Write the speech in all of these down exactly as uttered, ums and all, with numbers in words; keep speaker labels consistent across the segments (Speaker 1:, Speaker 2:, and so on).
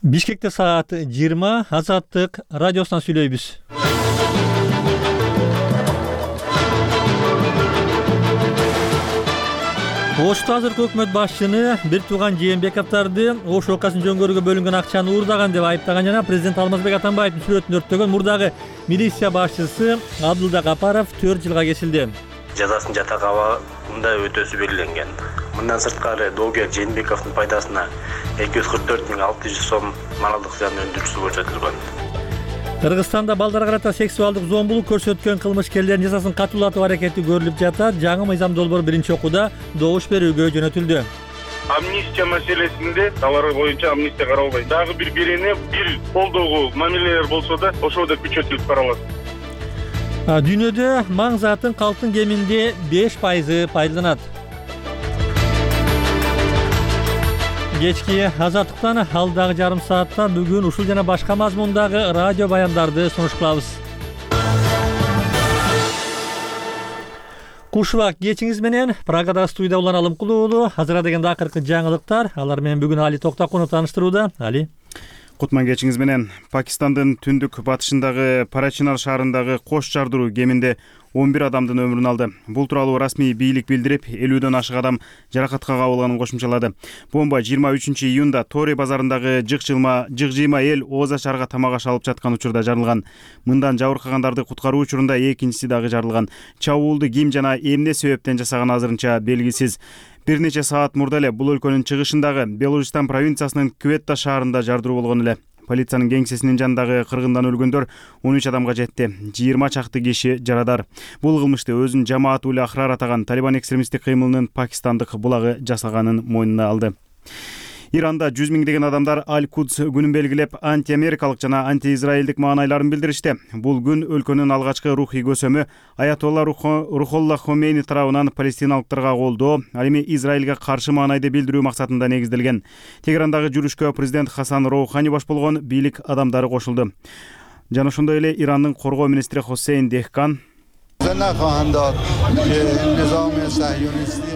Speaker 1: Бишкекте саат жыйырма, Азаттык радиосунан сүйлөйбүз. Ошто азыркы өкмөт башчыны бир тууган Жээнбековдорду Ош окуясын жөнгөрүүгө бөлүнгөн акчаны уурдаган деп айыптаган жана президент Алмазбек Атамбаевдин сүрөтүн өрттөгөн мурдагы милиция башчысы Абдулда Капаров төрт жылга кесилди.
Speaker 2: Жазасын жатак абагында өтөөсү белгиленген. Мындан сырткары доогер Жээнбековдун пайдасына эки жүз кырк төрт миң алты жүз сом малдык зыян өндүрүүсү көрсөтүлгөн.
Speaker 1: Кыргызстанда балдарга карата сексуалдык зомбулук көрсөткөн кылмышкерлердин жазасын катуулатуу аракети көрүлүп жатат. Жаңы мыйзам долбоор биринчи окууда добуш берүүгө жөнөтүлдү.
Speaker 3: Амнистия маселесинде алар боюнча амнистия каралбайт. Дагы бир бирине бир колдогуу мамилелер болсо да ошол да күчөтүлүп каралат.
Speaker 1: Дүйнөдө маң затын калктын кеминде беш пайызы пайдаланат. Кечки Азаттыктан алдагы жарым саатта бүгүн ушул жана башка мазмундагы радио баяндарды сунуш кылабыз. Кушубак кечиңиз менен Прагада студия Улан Алымкулуу уулу. Азыр дегенде акыркы жаңылыктар. Алар менен бүгүн Али Токтакунов тааныштырууда. Али.
Speaker 4: Кутман кечиңиз менен. Пакистандын түндүк батышындагы Парачинар шаарындагы кош жардыруу кеминде он бир адамдын өмүрүн алды. Бул тууралуу расмий бийлик билдирип, элүүдөн ашык адам жаракатка кабылганын кошумчалады. Бомба жыйырма үчүнчү июнда Тори базарындагы жыгчылма жыгжыйма эл Ооза шаарга тамак аш алып жаткан учурда жарылган. Мындан жабыркагандарды куткаруу учурунда экинчиси дагы жарылган. Чабуулду ким жана эмне себептен жасаганы азырынча белгисиз. Бир нече саат мурда эле бул өлкөнүн чыгышындагы Белужистан провинциясынын Кветта шаарында жардыруу болгон эле. Полициянын кеңсесинин жанындагы кыргындан өлгөндөр он үч адамга жетти. жыйырма чакты киши жарадар. Бул кылмышты өзүн жамаат улы ахрар атаган Талибан экстремисттик кыймылынын пакистандык булагы жасаганын мойнуна алды. Иранда жүз миңдеген адамдар Аль-Кудс күнүн белгилеп, антиамерикалык жана антиизраилдик маанайларын билдиришти. Бул күн өлкөнүн алгачкы рухий көсөмү Аятолла Рухолла Хомейни тарабынан палестиналыктарга колдоо, ал эми Израилге каршы маанайды билдирүү максатында негизделген. Тегерандагы жүрүшкө президент Хасан Роухани баш болгон бийлик адамдары кошулду. Жана ошондой эле Ирандын коргоо министри Хосейн Дехкан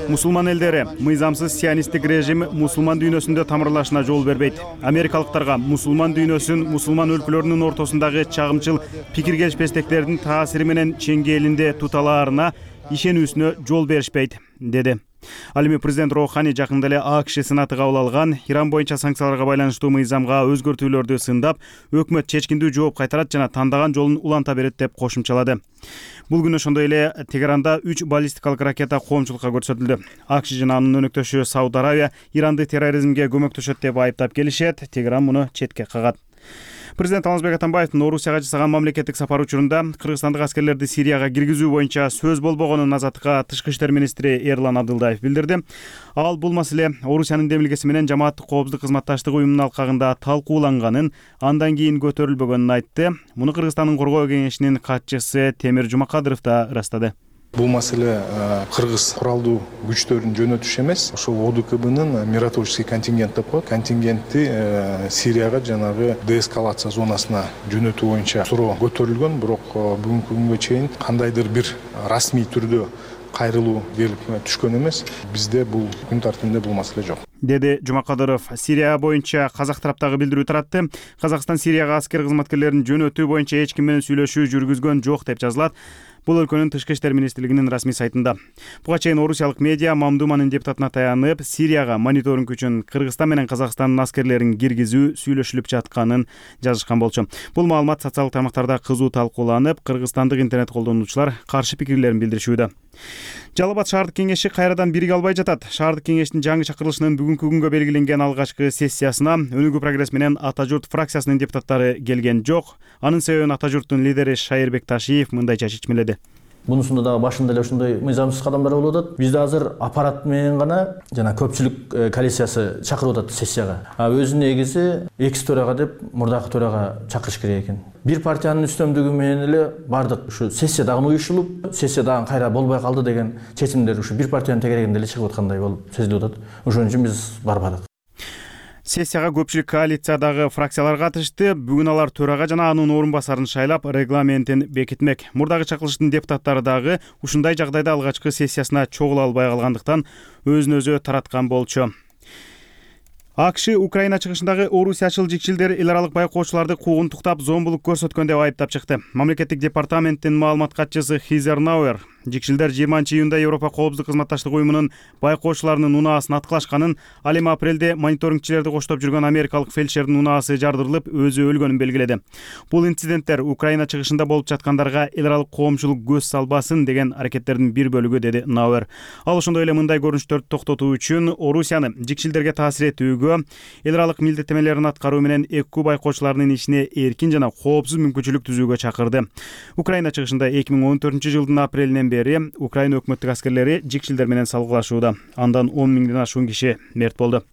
Speaker 4: мусулман элдери мыйзамсыз сионисттик режим мусулман дүйнөсүндө тамырлашына жол бербейт. Америкалыктарга мусулман дүйнөсүн мусулман өлкөлөрүнүн ортосундагы чагымчыл пикир келишпестиктердин таасири менен чеңгээлинде туталаарына ишенүүсүнө жол беришпейт, деди. Ал эми президент Роухани жакында эле АКШ сенаты кабыл алган Иран боюнча санкцияларга байланыштуу мыйзамга өзгөртүүлөрдү сындап, өкмөт чечкиндүү жооп кайтарат жана тандаган жолун уланта берет деп кошумчалады. Бул күнү ошондой эле Тегеранда үч баллистикалык ракета коомчулукка көрсөтүлдү. АКШ жана анын өнөктөшү Сауд Аравия Иранды терроризмге көмөктөшөт деп айыптап келишет. Тегеран муну четке кагат. Президент Алмазбек Атамбаевдин Орусияга жасаган мамлекеттик сапары учурунда кыргызстандык аскерлерди Сирияга киргизүү боюнча сөз болбогонун Азаттыкка тышкы иштер министри Эрлан Абдылдаев билдирди. Ал бул маселе Орусиянын демилгеси менен жамааттык коопсуздук кызматташтыгы уюмунун алкагында талкууланганын, андан кийин көтөрүлбөгөнүн айтты. Муну Кыргызстандын коргоо кеңешинин катчысы Темир Жумакадыров да ырастады.
Speaker 5: Бул маселе кыргыз куралдуу күчтөрүн жөнөтүш эмес, ошол ОДКБнын миротворческий контингент деп коет. Контингентти Сирияга жанагы деэскалация зонасына жөнөтүү боюнча суроо көтөрүлгөн, бирок бүгүнкү күнгө чейин кандайдыр бир расмий түрдө кайрылуу келип түшкөн эмес. Бизде бул күн тартибинде бул маселе жок,
Speaker 4: деди Жумакадыров. Сирия боюнча казак тараптагы билдирүү таратты. Казакстан Сирияга аскер кызматкерлерин жөнөтүү боюнча эч ким менен сүйлөшүү жүргүзгөн жок деп жазылат. Бул өлкөнүн тышкы иштер министрлигинин расмий сайтында. Буга чейин орусиялык медиа Мамдуманын депутатына таянып, Сирияга мониторинг үчүн Кыргызстан менен Казакстандын аскерлерин киргизүү сүйлөшүлүп жатканын жазышкан болчу. Бул маалымат социалдык тармактарда кызуу талкууланып, кыргызстандык интернет колдонуучулар каршы пикирлерин билдиришүүдө. Жалал Абад шаардык кеңеши кайрадан бириге албай жатат. Шаардык кеңештин жаңы чакырылышынын бүгүнкү күнгө белгиленген алгачкы сессиясына Өнүгүү прогресс менен Ата журт фракциясынын депутаттары келген жок. Анын себебин Ата журттун лидери Шайырбек Ташиев мындайча чечмеледи.
Speaker 6: Мунусунда дагы башында эле ушундай мыйзамсыз кадамдар болуп атат. Бизде азыр аппарат менен гана жана көпчүлүк коалициясы чакырып атат сессияга. А өзү негизи экс төрага деп мурдакы төрага чакырыш керек экен. Бир партиянын үстөмдүгү менен эле бардык ушу сессия дагы уюшулуп, сессия дагы кайра болбой калды деген чечимдер ушу бир партиянын тегерегинде эле чыгып аткандай болуп сезилип атат. Ошон үчүн биз барбадык.
Speaker 4: Сессияга көпчүлүк коалициядагы фракциялар катышты. Бүгүн алар төрага жана анын орун басарын шайлап, регламентин бекитмек. Мурдагы чакырылыштын депутаттары дагы ушундай жагдайда алгачкы сессиясына чогула албай калгандыктан өзүн өзү тараткан болчу. АКШ Украина чыгышындагы орусиячыл жикчилдер эл аралык байкоочуларды куугунтуктап, зомбулук көрсөткөн деп айыптап чыкты. Мамлекеттик департаменттин маалымат катчысы Хизер Науэр жикчилдер жыйырманчы июнда Европа коопсуздук кызматташтык уюмунун байкоочуларынын унаасын аткылашканын, ал эми апрелде мониторингчилерди коштоп жүргөн америкалык фельдшердин унаасы жардырылып, өзү өлгөнүн белгиледи. Бул инциденттер Украина чыгышында болуп жаткандарга эл аралык коомчулук көз салбасын деген аракеттердин бир бөлүгү, деди Науэр. Ал ошондой эле мындай көрүнүштөрдү токтотуу үчүн Орусияны жикчилдерге таасир этүүгө, эл аралык милдеттенмелерин аткаруу менен ЭКУ байкоочуларынын ишине эркин жана коопсуз мүмкүнчүлүк түзүүгө чакырды. Украина чыгышында эки миң он төртүнчү жылдын апрелинен бери Украина өкмөттүк аскерлери жикчилдер менен салгылашууда. Андан он миңден ашуун киши мерт болду.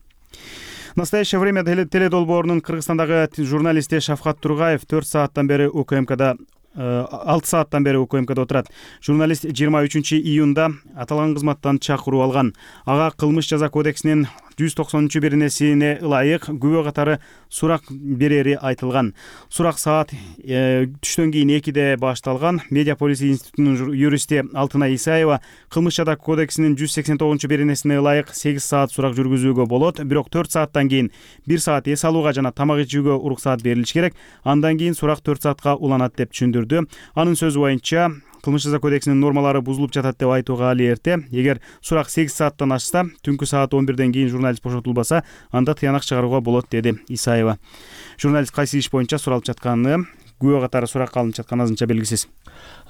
Speaker 4: В настоящее время теледолбоорунун Кыргызстандагы журналисти Шавкат Тургаев төрт сааттан бери УКМКда алты сааттан бери УКМКда отурат. Журналист жыйырма үчүнчү июнда аталган кызматтан чакыруу алган. Ага кылмыш жаза кодексинин жүз токсонунчу биринесине ылайык күбө катары сурак берери айтылган. Сурак саат э, түштөн кийин экиде башталган. Медиаполис институтунун юристи Алтынай Исаева кылмыш жаза кодексинин жүз сексен тогузунчу биринесине ылайык сегиз саат сурак жүргүзүүгө болот, бирок төрт сааттан кийин бир саат эс алууга жана тамак ичүүгө уруксаат берилиш керек. Андан кийин сурак төрт саатка уланат деп түшүндүрдү. Анын сөзү боюнча кылмыш жаза кодексинин нормалары бузулуп жатат деп айтууга али эрте. Эгер сурак сегиз сааттан ашса, түнкү саат он бирден кийин журналист бошотулбаса, анда тыянак чыгарууга болот, деди Исаева. Журналист кайсы иш боюнча суралып жатканы, күбө катары суракка алынып жатканы азырынча белгисиз.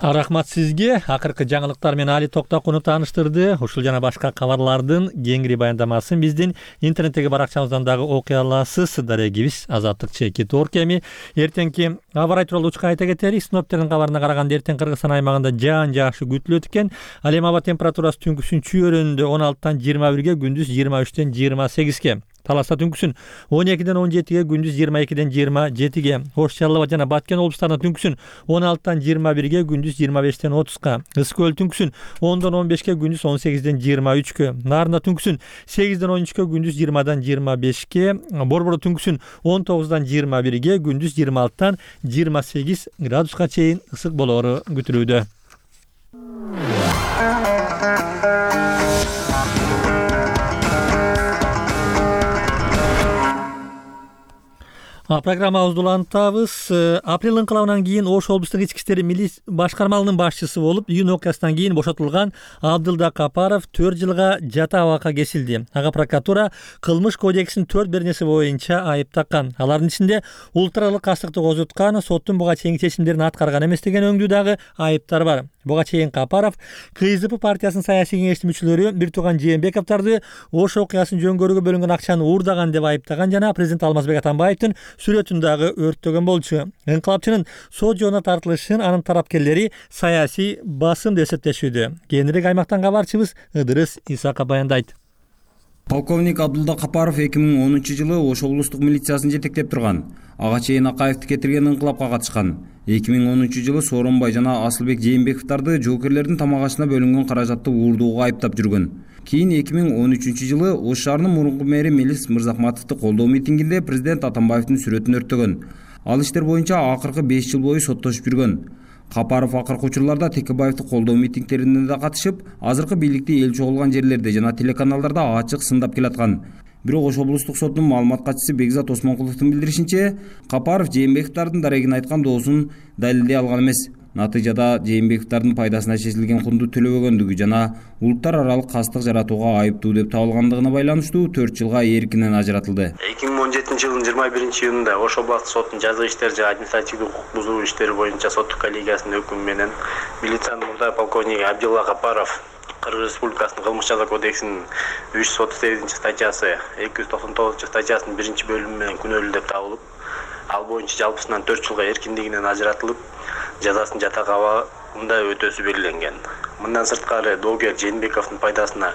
Speaker 1: Рахмат сизге. Акыркы жаңылыктар менен Али Токтокунов тааныштырды. Ушул жана башка кабарлардын кеңири баяндамасын биздин интернеттеги баракчабыздан дагы окуй аласыз. Дарегибиз Азаттык чекит орг. Эми эртеңки аба ырайы тууралуу учка айта кетели. Синоптиктердин кабарына караганда эртең Кыргызстан аймагында жаан жакшы күтүлөт экен. Ал эми аба температурасы түнкүсүн чүйөрүндө он алтыдан жыйырма бирге, күндүз жыйырма үчтөн жыйырма сегизге. Таласта түнкүсүн он экиден он жетиге, күндүз жыйырма экиден жыйырма жетиге. Ош, Чаллы жана Баткен облустарында түнкүсүн он алтыдан жыйырма бирге, күндүз жыйырма бештен отузга. Ысык көл түнкүсүн ондон он бешке, күндүз он сегизден жыйырма үчкө. Нарында түнкүсүн сегизден он үчкө, күндүз жыйырмадан жыйырма бешке. Борбордо түнкүсүн он тогуздан жыйырма бирге, күндүз жыйырма алтыдан жыйырма сегиз градуска чейин ысык болоору күтүлүүдө. Программабызды улантабыз. Апрель инкылабынан кийин Ош облустук ички иштер милиция башкармалыгынын башчысы болуп, июнь окуясынан кийин бошотулган Абдылда Капаров төрт жылга жата абакка кесилди. Ага прокуратура кылмыш кодексинин төрт беренеси боюнча айып таккан. Алардын ичинде улуттаралык кастыкты козуткан, соттун буга чейинки чечимдерин аткарган эмес деген өңдүү дагы айыптар бар. Буга чейин Капаров КСДП партиясынын саясий кеңештин мүчөлөрү бир тууган Жээнбековдорду Ош окуясын жөнгөрүүгө бөлүнгөн акчаны уурдаган деп айыптаган жана президент Алмазбек Атамбаевдин сүрөтүн дагы өрттөгөн болчу. Инкылапчынын сот жоона тартылышын анын тарапкерлери саясий басым деп эсептешүүдө. Кийинирээк аймактан кабарчыбыз Ыдырыс Исаков баяндайт.
Speaker 7: Полковник Абдулда Капаров эки миң онунчу жылы Ош облустук милициясын жетектеп турган. Ага чейин Акаевди кетирген инкылапка катышкан. эки миң онунчу жылы Сооронбай жана Асылбек Жээнбековдорду жоокерлердин тамак ашына бөлүнгөн каражатты уурдоого айыптап жүргөн. Кийин эки миң он үчүнчү жылы Ош шаарынын мурунку мэри Мелис Мырзахматовду колдоо митингинде президент Атамбаевдин сүрөтүн өрттөгөн. Ал иштер боюнча акыркы беш жыл бою соттошуп жүргөн. Капаров акыркы учурларда Текебаевди колдоо митингтерине да катышып, азыркы бийликти эл чогулган жерлерде жана телеканалдарда ачык сындап келаткан. Бирок Ош облустук соттун маалымат катчысы Бекзат Осмонкуловдун билдиришинче, Капаров Жээнбековдордун дарегин айткан доосун далилдей алган эмес. Натыйжада Жээнбековдордун пайдасына чечилген кунду төлөбөгөндүгү жана улуттар аралык кастык жаратууга айыптуу деп табылгандыгына байланыштуу төрт жылга эркинен ажыратылды.
Speaker 2: эки миң он жетинчи жылдын жыйырма биринчи июнунда Ош областык соттун жаза иштери жана административдик укук бузуу иштери боюнча соттук коллегиясынын өкүмү менен милициянын мурдагы полковниги Абдулла Капаров Кыргыз Республикасынын кылмыш жаза кодексинин үч жүз отуз сегизинчи статьясы, эки жүз токсон тогузунчу статьясынын биринчи бөлүмү менен күнөөлүү деп табылып, ал боюнча жалпысынан төрт жылга эркиндигинен ажыратылып, жазасын жатак абагында өтөөсү белгиленген. Мындан сырткары доогер Жээнбековдун пайдасына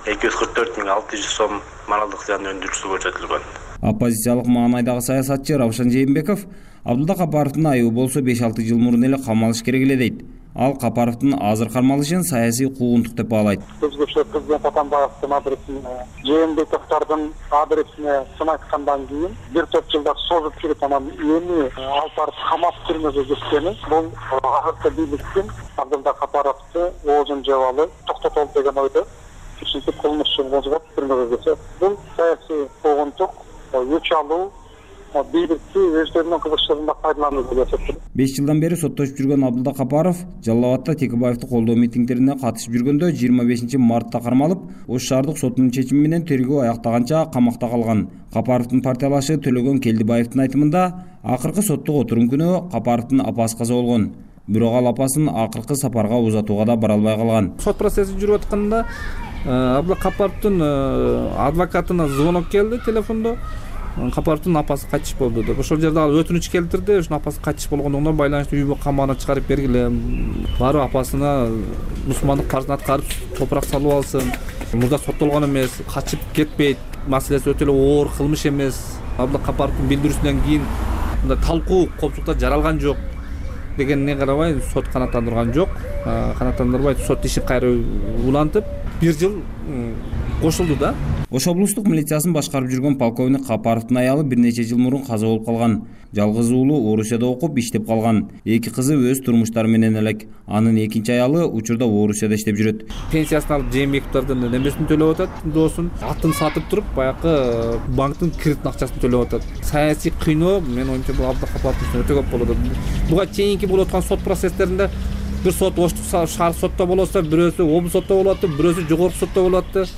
Speaker 2: эки жүз кырк төрт миң алты жүз сом моралдык зыян өндүрүүсү көрсөтүлгөн.
Speaker 7: Оппозициялык маанайдагы саясатчы Равшан Жээнбеков Абдулда Капаровдун айыбы болсо беш алты жыл мурун эле камалыш керек эле дейт. Ал Капаровдун азыр кармалышын саясий куугунтук деп баалайт.
Speaker 8: Өзгөчө президент Атамбаевдин адресине, Жээнбековдордун адресине сын айткандан кийин бир топ жылдар созуп жүрүп анан эми алып барып камап түрмөгө кеткени бул азыркы бийликтин Абдулда Капаровду оозун жабалы токтотолду деген ойдо. Ушинтип кылмыш ишин козгоп түрмөгө кетет. Бул саясий куугунтук, өч алуу, бийликти өздөрүнүн кызыкчылыгында пайдалануу деп эсептейм.
Speaker 7: беш жылдан бери соттошуп жүргөн Абдулла Капаров Жалал Абадта Текебаевди колдоо митингдерине катышып жүргөндө жыйырма бешинчи мартта кармалып, Ош шаардык сотунун чечими менен тергөө аяктаганча камакта калган. Капаровдун партиялашы Төлөгөн Келдибаевдин айтымында, акыркы соттук отурум күнү Капаровдун апасы каза болгон. Бирок ал апасын акыркы сапарга узатууга да бара албай калган.
Speaker 9: Сот процесси жүрүп атканда Абдулла Капаровдун адвокатына звонок келди телефондо. Капаровдун апасы кайтыш болду деп. Ошол жерде ал өтүнүч келтирди. Ошонун апасы кайтыш болгондугунан байланыштуу үй камагына чыгарып бергиле. Барып апасына мусулмандык парызын аткарып, топурак салып алсын. Мурда соттолгон эмес, качып кетпейт. Маселеси өтө эле оор кылмыш эмес. Абдулла Капаровдун билдирүүсүнөн кийин мындай талкуу коопсуздукта жаралган жок дегенине карабай сот канааттандырган жок. Канааттандырбай сот ишин кайра улантып бир жыл кошулду да.
Speaker 7: Ош облустук милициясын башкарып жүргөн полковник Капаровдун аялы бир нече жыл мурун каза болуп калган. Жалгыз уулу Орусияда окуп иштеп калган. Эки кызы өз турмуштары менен элек. Анын экинчи аялы учурда Орусияда иштеп жүрөт.
Speaker 9: Пенсиясын алып Жээнбековдордун немесин төлөп атат, доосун. Атын сатып туруп, баягы банктын кредит акчасын төлөп атат. Саясий кыйноо менин оюмча бул Абдулла Капаровдун өтө көп болот. Буга чейинки болуп аткан сот процесстеринде бир сот Оштук шаар сотто болсо, бирөөсү облус сотто болот, бирөөсү жогорку сотто болот.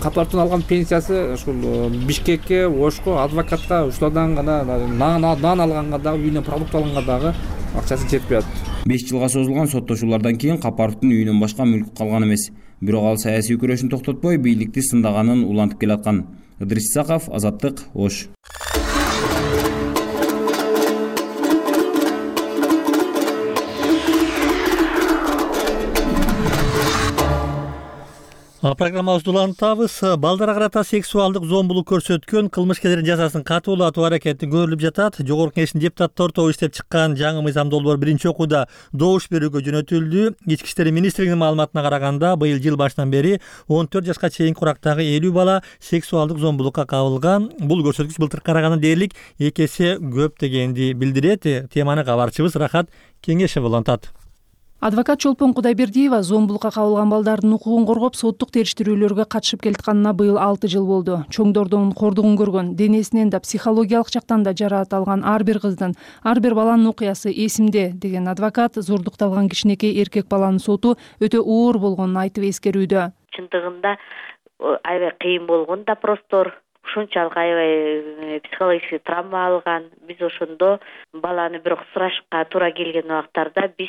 Speaker 9: Капаровдун алган пенсиясы ушул Бишкекке, Ошко, адвокатка ушулардан гана нан алганга дагы, үйүнөн продукт алганга дагы акчасы жетпей атат.
Speaker 7: беш жылга созулган соттошуулардан кийин Капаровдун үйүнөн башка мүлк калган эмес. Бирок ал саясий күрөшүн токтотпой, бийликти сындаганын улантып келаткан. Ыдрис Исаков, Азаттык, Ош.
Speaker 1: Программабызды улантабыз. Балдарга карата сексуалдык зомбулук көрсөткөн кылмышкерлердин жазасын катуулатуу аракети көрүлүп жатат. Жогорку Кеңештин депутаттары тобу иштеп чыккан жаңы мыйзам долбоор биринчи окууда добуш берүүгө жөнөтүлдү. Ички иштер министрлигинин маалыматына караганда, быйыл жыл башынан бери он төрт жашка чейинки курактагы элүү бала сексуалдык зомбулукка кабылган. Бул көрсөткүч былтыркыга караганда дээрлик эки эсе көп дегенди билдирет. Теманы кабарчыбыз Рахат Кеңешева улантат.
Speaker 10: Адвокат Чолпон Кудайбердиева зомбулукка кабылган балдардын укугун коргоп, соттук териштирүүлөргө катышып келатканына быйыл алты жыл болду. Чоңдордун кордугун көргөн, денесинен да психологиялык жактан да жараат алган ар бир кыздын, ар бир баланын окуясы эсимде деген адвокат зордукталган кичинекей эркек баланын соту өтө оор болгонун айтып эскерүүдө.
Speaker 11: Чындыгында аябай кыйын болгон допростор, ушунчалык аябай психологический травма алган. Биз ошондо баланы бирок сурашка туура келген убактарда биз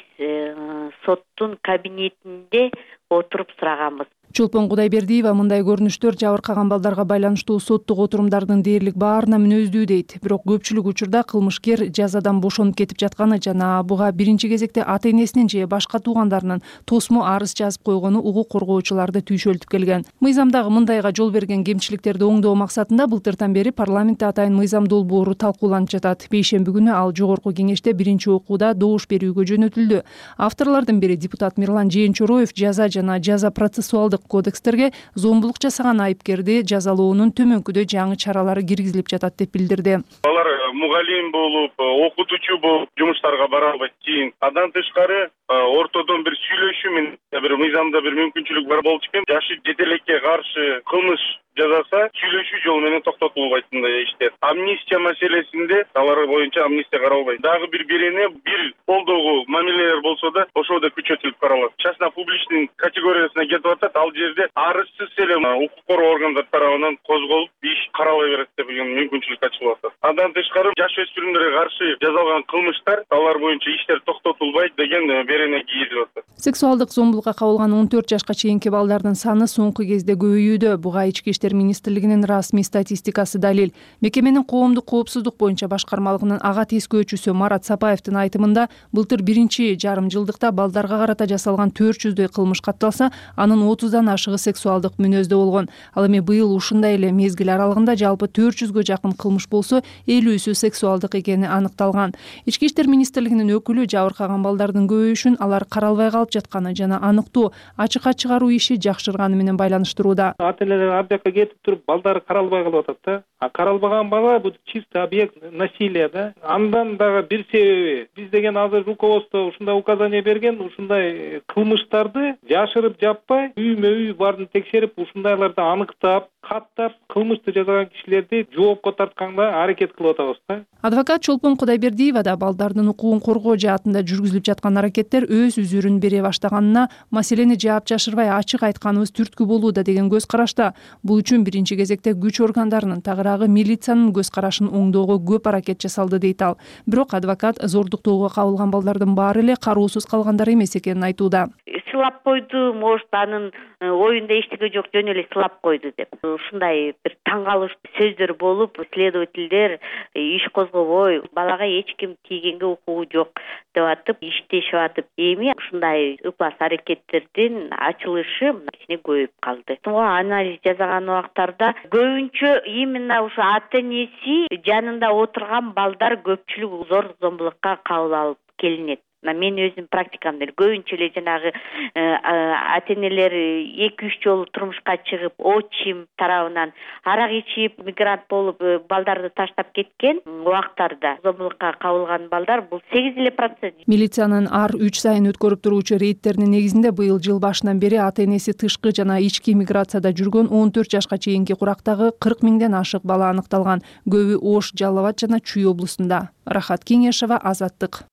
Speaker 11: соттун кабинетинде отуруп сураганбыз.
Speaker 10: Чолпон Кудайбердиева мындай көрүнүштөр жабыркаган балдарга байланыштуу соттук отурумдардын дээрлик баарына мүнөздүү дейт. Бирок көпчүлүк учурда кылмышкер жазадан бошонуп кетип жатканы жана буга биринчи кезекте ата энесинин же башка туугандарынын тосмо арыз жазып койгону укук коргоочуларды түйшөлтүп келген. Мыйзамдагы мындайга жол берген кемчиликтерди оңдоо максатында былтыртан бери парламентте атайын мыйзам долбоору талкууланып жатат. Бейшемби күнү ал жогорку кеңеште биринчи окууда добуш берүүгө жөнөтүлдү. Авторлордун бири депутат Мирлан Жээнчороев жаза жана жаза процессуалдык кодекстерге зомбулук жасаган айыпкерди жазалоонун төмөнкүдөй жаңы чаралары киргизилип жатат деп билдирди.
Speaker 3: Алар мугалим болуп, окутуучу болуп жумуштарга бара албайт. Кийин андан тышкары ортодон бир сүйлөшүү менен бир мыйзамда бир мүмкүнчүлүк бар болчу экен. Жашы жете элекке каршы кылмыш жазаса сүйлөшүү жолу менен токтотулбайт мындай иштер. Амнистия маселесинде алар боюнча амнистия каралбайт. Дагы бир берене бир колдогу мамилелер болсо да ошол да күчөтүлүп каралат. Частно публичный категориясына кетип атат. Ал жерде арызсыз эле укук коргоо органдары тарабынан козголуп иш каралбай берет деген мүмкүнчүлүк ачылып атат. Андан тышкары жаш өспүрүмдөргө каршы жасалган кылмыштар алар боюнча иштер токтотулбайт деген берене кийилип атат.
Speaker 10: Сексуалдык зомбулукка кабылган он төрт жашка чейинки балдардын саны соңку кезде көбөйүүдө. Буга ички иштер министрлигинин расмий статистикасы далил. Мекеменин коомдук коопсуздук боюнча башкармалыгынын ага тескөөчүсү Марат Сапаевдин айтымында, былтыр биринчи жарым жылдыкта балдарга карата жасалган төрт жүздөй кылмыш катталса, анын отуздан ашыгы сексуалдык мүнөздө болгон. Ал эми быйыл ушундай эле мезгил аралыгында жалпы төрт жүзгө жакын кылмыш болсо, элүүсү сексуалдык экени аныкталган. Ички иштер министрлигинин өкүлү жабыркаган балдардын көбөйүшүн алар каралбай калып жатканы жана аныктоо, ачыкка чыгаруу иши жакшырганы менен байланыштырууда.
Speaker 12: Ата энелер ар жакка
Speaker 9: кетип туруп балдары каралбай калып атат да. А каралбаган бала бул чисто объект насилия да. Андан дагы бир себеби биз деген азыр руководство ушундай указание берген, ушундай кылмыштарды жашырып жаппай, үймө үй барын текшерип, ушундайларды аныктап, каттап, кылмышты жасаган кишилерди жоопко тартканга аракет кылып атабыз да.
Speaker 10: Адвокат Чолпон Кудайбердиева да балдардын укугун коргоо жаатында жүргүзүлүп жаткан аракеттер өз үзүрүн бере баштаганына, маселени жаап жашырбай ачык айтканыбыз түрткү болууда деген көз карашта. Бул үчүн биринчи кезекте күч органдарынын, тагыраагы милициянын көз карашын оңдоого көп аракет жасалды дейт ал. Бирок адвокат зордуктоого кабылган балдардын баары эле кароосуз калгандар эмес экенин айтууда.
Speaker 11: Сылап койду, может анын оюнда эчтеке жок, жөн эле сылап койду деп. Ушундай бир таң калыштуу сөздөр болуп, следовательдер иш козгобой, балага эч ким тийгенге укугу жок деп атып, иштешип атып, эми ушундай ыплас аракеттердин ачылышы кичине көбөйүп калды. Анализ жасаган убактарда көбүнчө именно ушу ата энеси жанында отурган балдар көпчүлүк зор зомбулукка кабыл алып келинет. Мен өзүм практикамда көбүнчө эле жанагы ата энелер эки үч жолу турмушка чыгып, отчим тарабынан арак ичип, мигрант болуп балдарды таштап кеткен убактарда зомбулукка кабылган балдар бул сегиз эле процент.
Speaker 10: Милициянын ар үч сайын өткөрүп туруучу рейдтеринин негизинде быйыл жыл башынан бери ата энеси тышкы жана ички миграцияда жүргөн он төрт жашка чейинки курактагы кырк миңден ашык бала аныкталган. Көбү Ош, Жалал Абад жана Чүй облусунда. Рахат Кеңешова, Азаттык.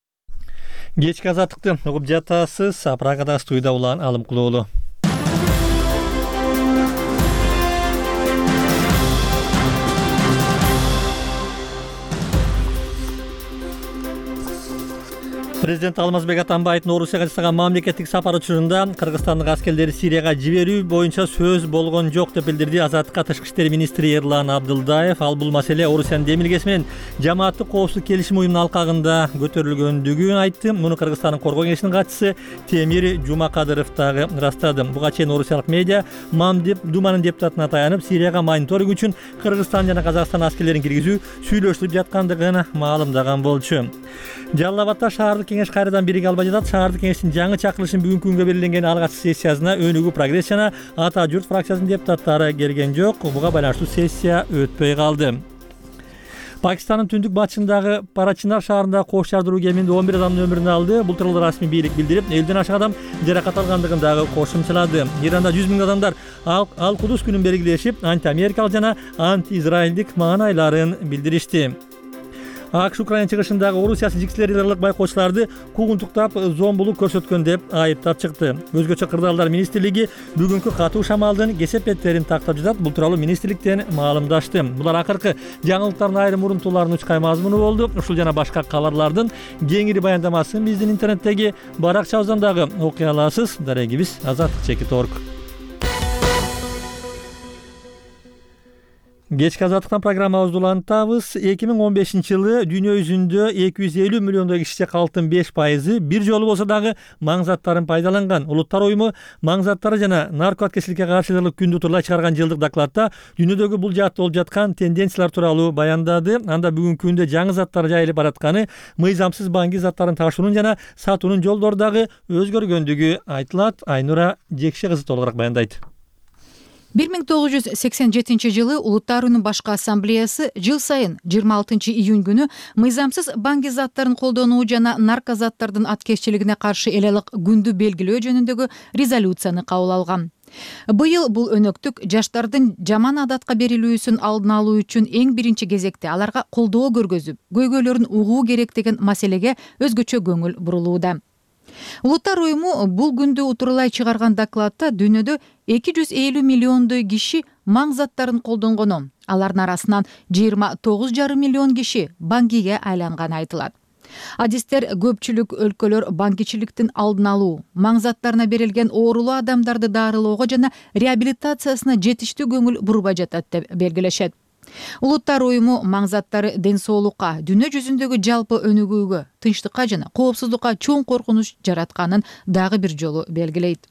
Speaker 1: Кечки азаттыкты угуп жатасыз. Прагада студияда улан Алым Кулоолу. Президент Алмазбек Атамбаевдин Орусияга жасаган мамлекеттик сапар учурунда Кыргызстандын аскерлери Сирияга жиберүү боюнча сөз болгон жок деп билдирди Азаттыкка тышкы иштер министри Эрлан Абдылдаев. Ал бул маселе Орусиянын демилгеси менен жамааттык коопсуздук келишим уюмунун алкагында көтөрүлгөндүгүн айтты. Муну Кыргызстандын коргоо кеңешинин катчысы Темир Жумакадыров дагы ырастады. Буга чейин орусиялык медиа Мамдеп Думанын депутатына таянып, Сирияга мониторинг үчүн Кыргызстан жана Казакстан аскерлерин киргизүү сүйлөшүлүп жаткандыгын маалымдаган болчу. Жалал Абадда шаардык кеңеш кайрадан бириге албай жатат. Шаардык кеңештин жаңы чакырылышын бүгүнкү күнгө белгиленген алгачкы сессиясына Өнүгүү Прогресс жана Ата журт фракциясынын депутаттары келген жок. Буга байланыштуу сессия өтпөй калды. Пакистандын түндүк батышындагы Парачинар шаарында кош жардыруу кеминде он бир адамдын өмүрүн алды. Бул тууралуу расмий бийлик билдирип, элден ашык адам жаракат алгандыгын дагы кошумчалады. Иранда жүз миң адамдар Ал-Кудус күнүн белгилешип, анти-америкалык жана анти-израилдик маанайларын билдиришти. АКШ Украина чыгышындагы Орусия сижикчилери байкоочуларды куугунтуктап, зомбулук көрсөткөн деп айыптап чыкты. Өзгөчө кырдаалдар министрлиги бүгүнкү катуу шамалдын кесепеттерин тактап жатат. Бул тууралуу министрликтен маалымдашты. Булар акыркы жаңылыктардын айрым урунтууларынын учкай мазмуну болду. Ушул жана башка кабарлардын кеңири баяндамасын биздин интернеттеги баракчабыздан дагы окуй аласыз. Дарегибиз Азаттык чекит точка орг. Кечки азаттыктан программабызды улантабыз. эки миң он бешинчи жылы дүйнө жүзүндө эки жүз элүү миллиондой киши калктын беш пайызы бир жолу болсо дагы маң заттарын пайдаланган. Улуттар уюму маң заттары жана наркотикечиликке каршы күндү утурлай чыгарган жылдык докладта дүйнөдөгү бул жаатта болуп жаткан тенденциялар тууралуу баяндады. Анда бүгүнкү күндө жаңы заттар жайылып баратканы, мыйзамсыз баңги заттарын ташуунун жана сатуунун жолдору дагы өзгөргөндүгү айтылат. Айнура Жекше кызы толугураак баяндайт.
Speaker 12: бир миң тогуз жүз сексен жетинчи жылы Улуттар уюмунун башкы ассамблеясы жыл сайын жыйырма алтынчы июнь күнү мыйзамсыз баңги заттарын колдонуу жана наркозаттардын аткезчилигине каршы эл алык күндү белгилөө жөнүндөгү резолюцияны кабыл алган. Быйыл бул өнөктүк жаштардын жаман адатка берилүүсүн алдын алуу үчүн эң биринчи кезекте аларга колдоо көргөзүп, көйгөйлөрүн угуу керек деген маселеге өзгөчө көңүл бурулууда. Улуттар уюму бул күндү утурлай чыгарган докладта дүйнөдө эки жүз элүү миллиондой киши маң заттарын колдонгону, алардын арасынан жыйырма тогуз жарым миллион киши баңгиге айланганы айтылат. Адистер көпчүлүк өлкөлөр баңгичиликтин алдын алуу, маң заттарына берилген оорулуу адамдарды дарылоого жана реабилитациясына жетиштүү көңүл бурбай жатат деп белгилешет. Улуттар уюму маң заттары ден соолукка, дүйнө жүзүндөгү жалпы өнүгүүгө, тынчтыкка жана коопсуздукка чоң коркунуч жаратканын дагы бир жолу белгилейт.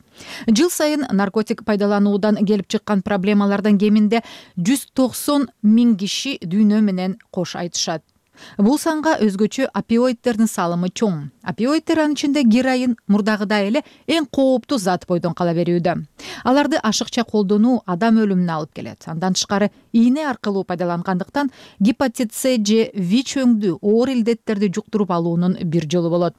Speaker 12: Жыл сайын наркотик пайдалануудан келип чыккан проблемалардан кеминде жүз токсон миң киши дүйнө менен кош айтышат. Бул санга өзгөчө опиоидтердин салымы чоң. Опиоидтер анын ичинде героин мурдагыдай эле эң кооптуу зат бойдон кала берүүдө. Аларды ашыкча колдонуу адам өлүмүнө алып келет. Андан тышкары ийне аркылуу пайдалангандыктан гепатит С же ВИЧ өңдүү оор илдеттерди жуктуруп алуунун бир жолу болот.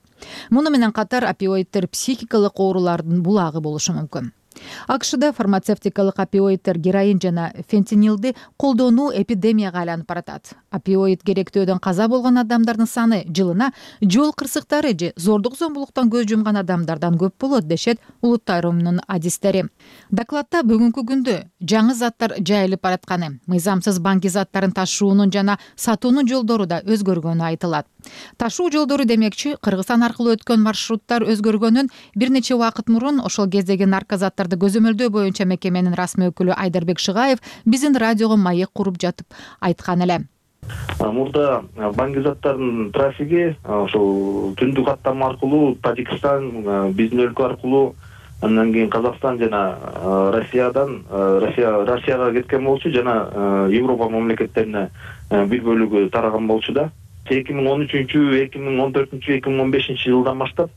Speaker 12: Муну менен катар опиоидтер психикалык оорулардын булагы болушу мүмкүн. АКШда фармацевтикалык опиоидтер героин жана фентанилди колдонуу эпидемияга айланып баратат. Опиоид керектөөдөн каза болгон адамдардын саны жылына жол кырсыктары же зордук зомбулуктан көз жумган адамдардан көп болот, дешет улуттар уюмунун адистери. Докладда бүгүнкү күндө жаңы заттар жайылып баратканы, мыйзамсыз банки заттарын ташуунун жана сатуунун жолдору да өзгөргөнү айтылат. Ташуу жолдору демекчи, Кыргызстан аркылуу өткөн маршруттар өзгөргөнүн бир нече убакыт мурун ошол кездеги наркозаттарды көзөмөлдөө боюнча мекеменин расмий өкүлү Айдарбек Шыгаев биздин радиого маек куруп жатып айткан эле.
Speaker 13: Мурда банки заттардын трафиги ошол түндүк каттама аркылуу Тажикстан, биздин өлкө аркылуу, андан кийин Казакстан жана Россиядан Россия Россияга кеткен болчу, жана Европа мамлекеттерине бир бөлүгү тараган болчу да. эки миң он үчүнчү, эки миң он төртүнчү, эки миң он бешинчи жылдан баштап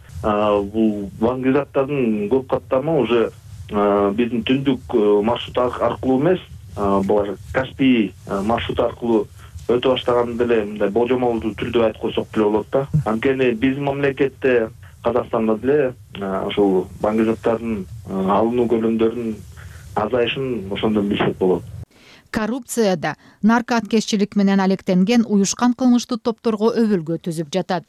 Speaker 13: бул банки заттардын көп каттамы уже биздин түндүк маршрут аркылуу эмес, булар Каспий маршрут аркылуу өтө баштаган деле мындай болжомолдуу түрдө айтып койсок деле болот да. Анткени биздин мамлекетте, Казакстанда деле ошол банки заттардын алынуу көлөмдөрүнүн азайышын ошондон билсек болот.
Speaker 12: Коррупцияда наркоаткезчилик менен алектенген уюшкан кылмыштуу топторго өбөлгө түзүп жатат.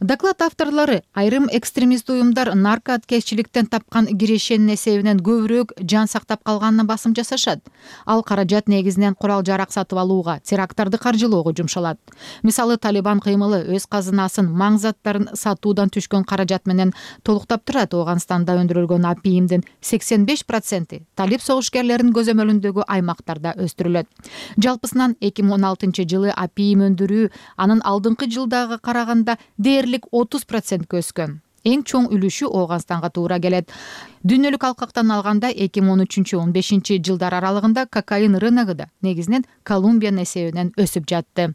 Speaker 12: Доклад авторлору айрым экстремист уюмдар наркоаткезчиликтен тапкан кирешенин эсебинен көбүрөөк жан сактап калганына басым жасашат. Ал каражат негизинен курал-жарак сатып алууга, теракттарды каржылоого жумшалат. Мисалы, Талибан кыймылы өз казынасын маң заттарын сатуудан түшкөн каражат менен толуктап турат. Ооганстанда өндүрүлгөн апийимдин сексен беш проценти талип согушкерлеринин көзөмөлүндөгү аймактарда өстүрүлөт. Жалпысынан эки миң он алтынчы жылы апийим өндүрүү анын алдыңкы жылдагы караганда дээрлик отуз процентке өскөн. Эң чоң үлүшү Ооганстанга туура келет. Дүйнөлүк алкактан алганда эки миң он үчүнчү он бешинчи жылдар аралыгында кокаин рыногу да негизинен Колумбиянын эсебинен өсүп жатты.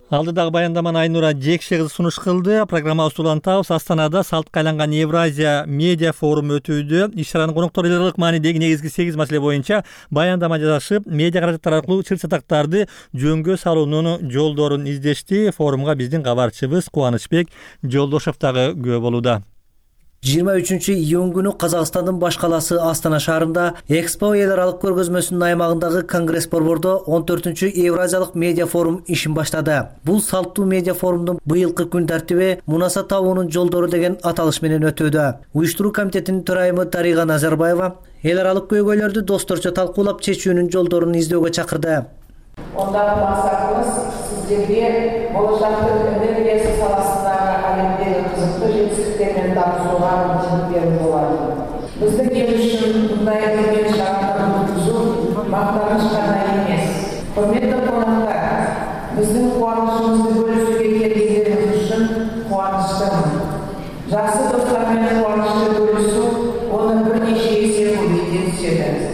Speaker 1: Алдыдагы баяндаманы Айнура Жекше кызы сунуш кылды. Программабызды улантабыз. Астанада салтка айланган Евразия медиа форуму өтүүдө. Иш-чаранын коноктору эл аралык маанидеги негизги сегиз маселе боюнча баяндама жасашып, медиа каражаттар аркылуу чыр-чатактарды жөнгө салуунун жолдорун издешти. Форумга биздин кабарчыбыз Кубанычбек Жолдошев дагы күбө болууда.
Speaker 14: жыйырма үчүнчү июнь күнү Казакстандын баш каласы Астана шаарында Экспо эл аралык көргөзмөсүнүн аймагындагы Конгресс борбордо он төртүнчү Евразиялык медиа форум ишин баштады. Бул салттуу медиа форумдун быйылкы күн тартиби Мунаса табуунун жолдору деген аталыш менен өтүүдө. Уюштуруу комитетинин төрайымы Дарига Назарбаева эл аралык көйгөйлөрдү досторчо талкуулап чечүүнүн жолдорун издөөгө чакырды.
Speaker 15: Ондагы максатыбыз сиздерге болочактын энергиясы саласындагы алемдеги кызыктуу жетиштеринен танышууга мүмкүнчүлүк берүү болот. Биздин эл үчүн мындай үлкен шаардын өткүзүү мактаныч гана эмес. Урматтуу коноктор, биздин кубанычыбызды бөлүшүүгө келгениңиз үчүн кубанычтымын. Жакшы достор менен кубанычты бөлүшүү оны бир нече эсе көбөйтөт.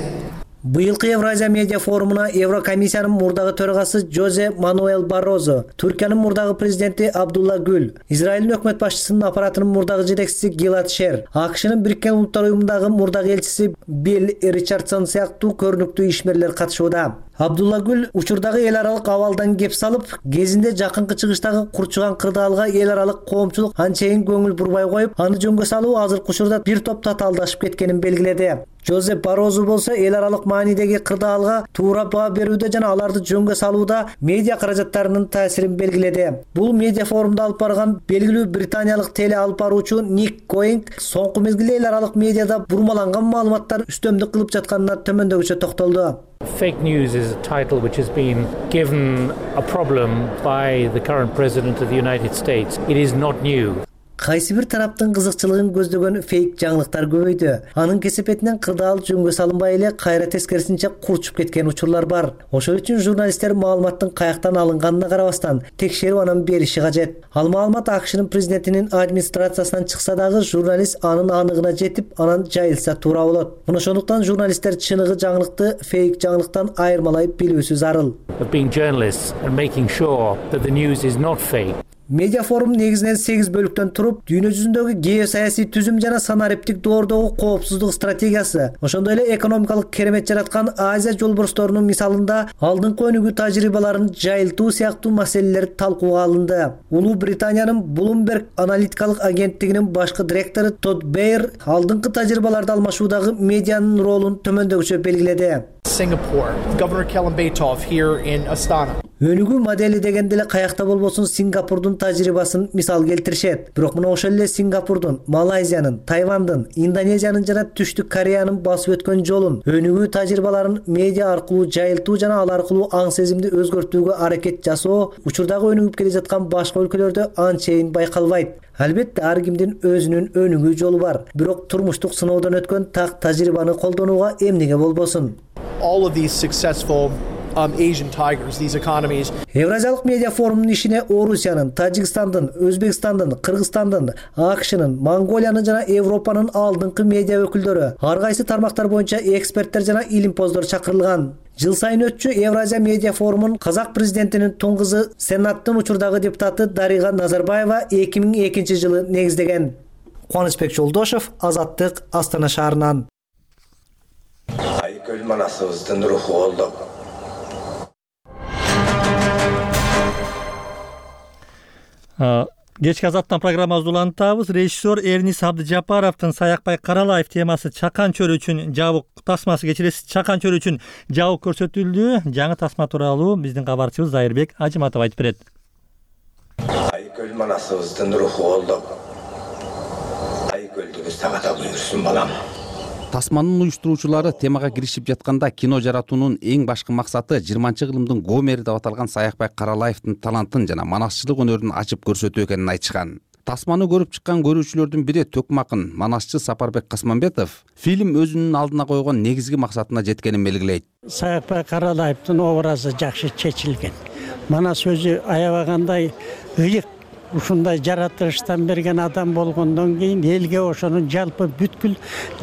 Speaker 14: Быйылкы Евразия медиа форумуна Еврокомиссиянын мурдагы төрагасы Жозе Мануэл Баррозо, Түркиянын мурдагы президенти Абдулла Гүл, Израилдин өкмөт башчысынын аппаратынын мурдагы жетекчиси Гилад Шер, АКШнын Бириккен Улуттар уюмундагы мурдагы элчиси Билл Ричардсон сыяктуу көрүнүктүү ишмерлер катышууда. Абдулла Гүл учурдагы эл аралык абалдан кеп салып, кезинде жакынкы чыгыштагы курчуган кырдаалга эл аралык коомчулук анчейин көңүл бурбай коюп, аны жөнгө салуу азыркы учурда бир топ татаалдашып кеткенин белгиледи. Жозеп Барозу болсо эл аралык маанидеги кырдаалга туура баа берүүдө жана аларды жөнгө салууда медиа каражаттарынын таасирин белгиледи. Бул медиа форумду алып барган белгилүү британиялык теле алып баруучу Ник Коинг соңку мезгилде эл аралык медиада бурмаланган маалыматтар үстөмдүк кылып жатканына төмөндөгүчө токтолду.
Speaker 16: Fake news is a title which has been given a problem by the current president of the United States. It is not new.
Speaker 14: Кайсы бир тараптын кызыкчылыгын көздөгөн фейк жаңылыктар көбөйдү. Анын кесепетинен кырдаал жөнгө салынбай эле кайра тескерисинче курчуп кеткен учурлар бар. Ошол үчүн журналисттер маалыматтын каяктан алынганына карабастан текшерип анан бериши кажет. Ал маалымат АКШнын президентинин администрациясынан чыкса дагы журналист анын аныгына жетип, анан жайылса туура болот. Мына ошондуктан журналисттер чыныгы жаңылыкты фейк жаңылыктан айырмалай билүүсү зарыл.
Speaker 16: Being journalists and making sure that the news is not fake.
Speaker 14: Медиа форум негизинен сегиз бөлүктөн туруп, дүйнө жүзүндөгү геосаясий түзүм жана санариптик доордогу коопсуздук стратегиясы, ошондой эле экономикалык керемет жараткан Азия жолборсторунун мисалында алдыңкы өнүгүү тажрыйбаларын жайылтуу сыяктуу маселелер талкууга алынды. Улуу Британиянын Bloomberg аналитикалык агенттигинин башкы директору Тодд Бейер алдыңкы тажрыйбаларды алмашуудагы медианын ролун төмөндөгүчө белгиледи.
Speaker 17: Singapore, Governor Kelambetov here in Astana.
Speaker 14: Өнүгүү модели дегенде эле каякта болбосун Сингапурдун тажрыйбасын мисал келтиришет. Бирок мына ошол эле Сингапурдун, Малайзиянын, Тайвандын, Индонезиянын жана Түштүк Кореянын басып өткөн жолун, өнүгүү тажрыйбаларын медиа аркылуу жайылтуу жана ал аркылуу аң сезимди өзгөртүүгө аракет жасоо учурдагы өнүгүп келе жаткан башка өлкөлөрдө анчейин байкалбайт. Албетте ар кимдин өзүнүн өнүгүү жолу бар. Бирок турмуштук сыноодон өткөн так тажрыйбаны колдонууга эмнеге болбосун?
Speaker 17: All of these successful um, Asian tigers, these economies.
Speaker 14: Евразиялык медиа форумунун ишине Орусиянын, Тажикстандын, Өзбекстандын, Кыргызстандын, АКШнын, Монголиянын жана Европанын алдыңкы медиа өкүлдөрү, ар кайсы тармактар боюнча эксперттер жана илимпоздор чакырылган. Жыл сайын өтчү Евразия медиа форумун казак президентинин туң кызы Сенаттын учурдагы депутаты Дарига Назарбаева эки миң экинчи жылы негиздеген. Кубанычбек Жолдошов, Азаттык, Астана шаарынан.
Speaker 18: Айкөл манасыбыздын руху колдоп.
Speaker 1: Кечки Азаттан программабызды улантабыз. Режиссер Эрнис Абдыжапаровдун Саякбай Каралаев темасы Чакан чөлү үчүн жабык тасмасы кечиресиз Чакан чөлү үчүн жабык көрсөтүлдү. Жаңы тасма тууралуу биздин кабарчыбыз Зайырбек Ажыматов айтып берет.
Speaker 18: Айкөл манасыбыздын руху колдоп. Айкөлдүгү сагата буйрсун балам.
Speaker 19: Тасманын уюштуруучулары темага киришип жатканда кино жаратуунун эң башкы максаты жыйырманчы кылымдын Гомери деп аталган Саякбай Каралаевдин талантын жана манасчылык өнөрүн ачып көрсөтүү экенин айтышкан. Тасманы көрүп чыккан көрүүчүлөрдүн бири Төкмакын, манасчы Сапарбек Касманбетов фильм өзүнүн алдына койгон негизги максатына жеткенин белгилейт.
Speaker 20: Саякбай Каралаевдин образы жакшы чечилген. Манас өзү аябагандай ыйык ушундай жаратылыштан берген адам болгондон кийин элге ошонун жалпы бүткүл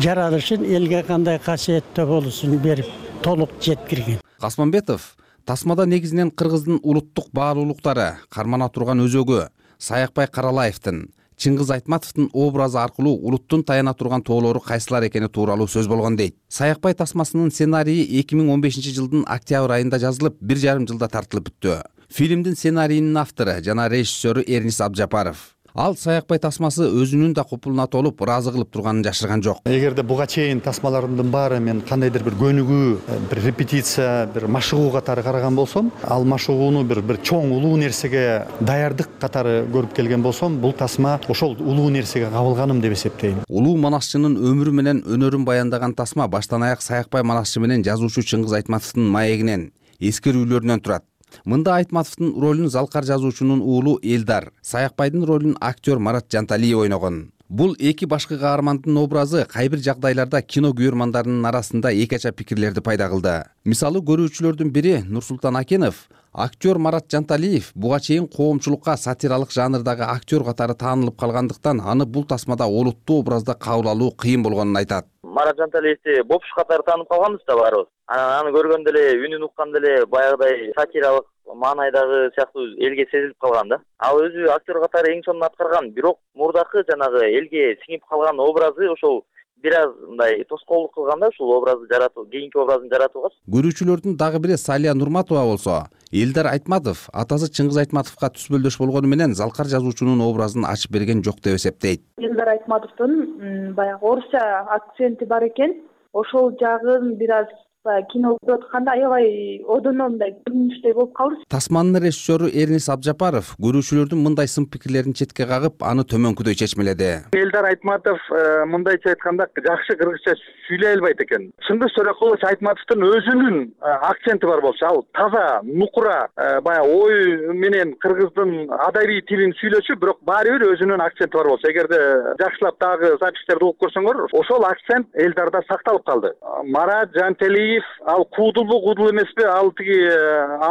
Speaker 20: жаралышын элге кандай касиеттүү болуусун берип толук жеткирген.
Speaker 19: Касманбетов тасмада негизинен кыргыздын улуттук баалуулуктары, кармана турган өзөгү Саякбай Каралаевдин, Чыңгыз Айтматовдун образы аркылуу улуттун таяна турган тоолору кайсылар экени тууралуу сөз болгон дейт. Саякбай тасмасынын сценарийи эки миң он бешинчи жылдын октябрь айында жазылып, бир жарым жылда тартылып бүттү. Фильмдин сценарийинин автору жана режиссеру Эрнис Абдыжапаров. Ал Саякбай тасмасы өзүнүн да купулуна толуп, ыраазы кылып турганын жашырган жок.
Speaker 21: Эгерде буга чейин тасмаларымдын баары мен кандайдыр бир көнүгүү, бир репетиция, бир машыгуу катары караган болсом, ал машыгууну бир бир чоң улуу нерсеге даярдык катары көрүп келген болсом, бул тасма ошол улуу нерсеге кабылганым деп эсептейм.
Speaker 19: Улуу манасчынын өмүрү менен өнөрүн баяндаган тасма баштан аяк Саякбай манасчы менен жазуучу Чыңгыз Айтматовдун маегинен, эскерүүлөрүнөн турат. Мында Айтматовдун ролун залкар жазуучунун уулу Элдар, Саякбайдын ролун актер Марат Жанталиев ойногон. Бул эки башкы каармандын образы кай бир жагдайларда кино көрөрмандарынын арасында эки ача пикирлерди пайда кылды. Мисалы, көрүүчүлөрдүн бири Нурсултан Акенов актер Марат Жанталиев буга чейин коомчулукка сатиралык жанрдагы актер катары таанылып калгандыктан аны бул тасмада олуттуу образда кабыл алуу кыйын болгонун айтат.
Speaker 22: Марат Жанталиевди бопуш катары таанып калганбыз да баарыбыз. Анан аны көргөндө эле, үнүн укканда эле баягыдай сатиралык маанайдагы сыяктуу элге сезилип калган да. Ал өзү актер катары эң сонун аткарган, бирок мурдакы жанагы элге сиңип калган образы ошол бир аз мындай тоскоолдук кылган да, ушул образды жаратуу, кийинки образын жаратууга.
Speaker 19: Көрүүчүлөрдүн дагы бири Салия Нурматова болсо, Элдар Айтматов атасы Чыңгыз Айтматовго түспөлдөш болгону менен залкар жазуучунун образын ачып берген жок деп эсептейт.
Speaker 23: Элдар Айтматовдун баягы орусча акценти бар экен. Ошол жагын бир аз
Speaker 5: баягы кино көрүп атканда аябай одоно мындай көрүнүштөй болуп калды.
Speaker 19: Тасманын режиссеру Эрнис Абжапаров көрүүчүлөрдүн мындай сын пикирлерин четке кагып, аны төмөнкүдөй чечмеледи.
Speaker 6: Элдар Айтматов мындайча айтканда жакшы кыргызча сүйлөй албайт экен. Чындык Сөрөкулович Айтматовдун өзүнүн акценти бар болчу, ал таза, нукура, баягы ой менен кыргыздын адабий тилин сүйлөчү, бирок баары бир өзүнүн акценти бар болчу. Эгерде жакшылап дагы записьтерди угуп көрсөңөр, ошол акцент Элдарда сакталып калды. Марат Жантелиев ал куудулбу, куудул эмеспи, ал тиги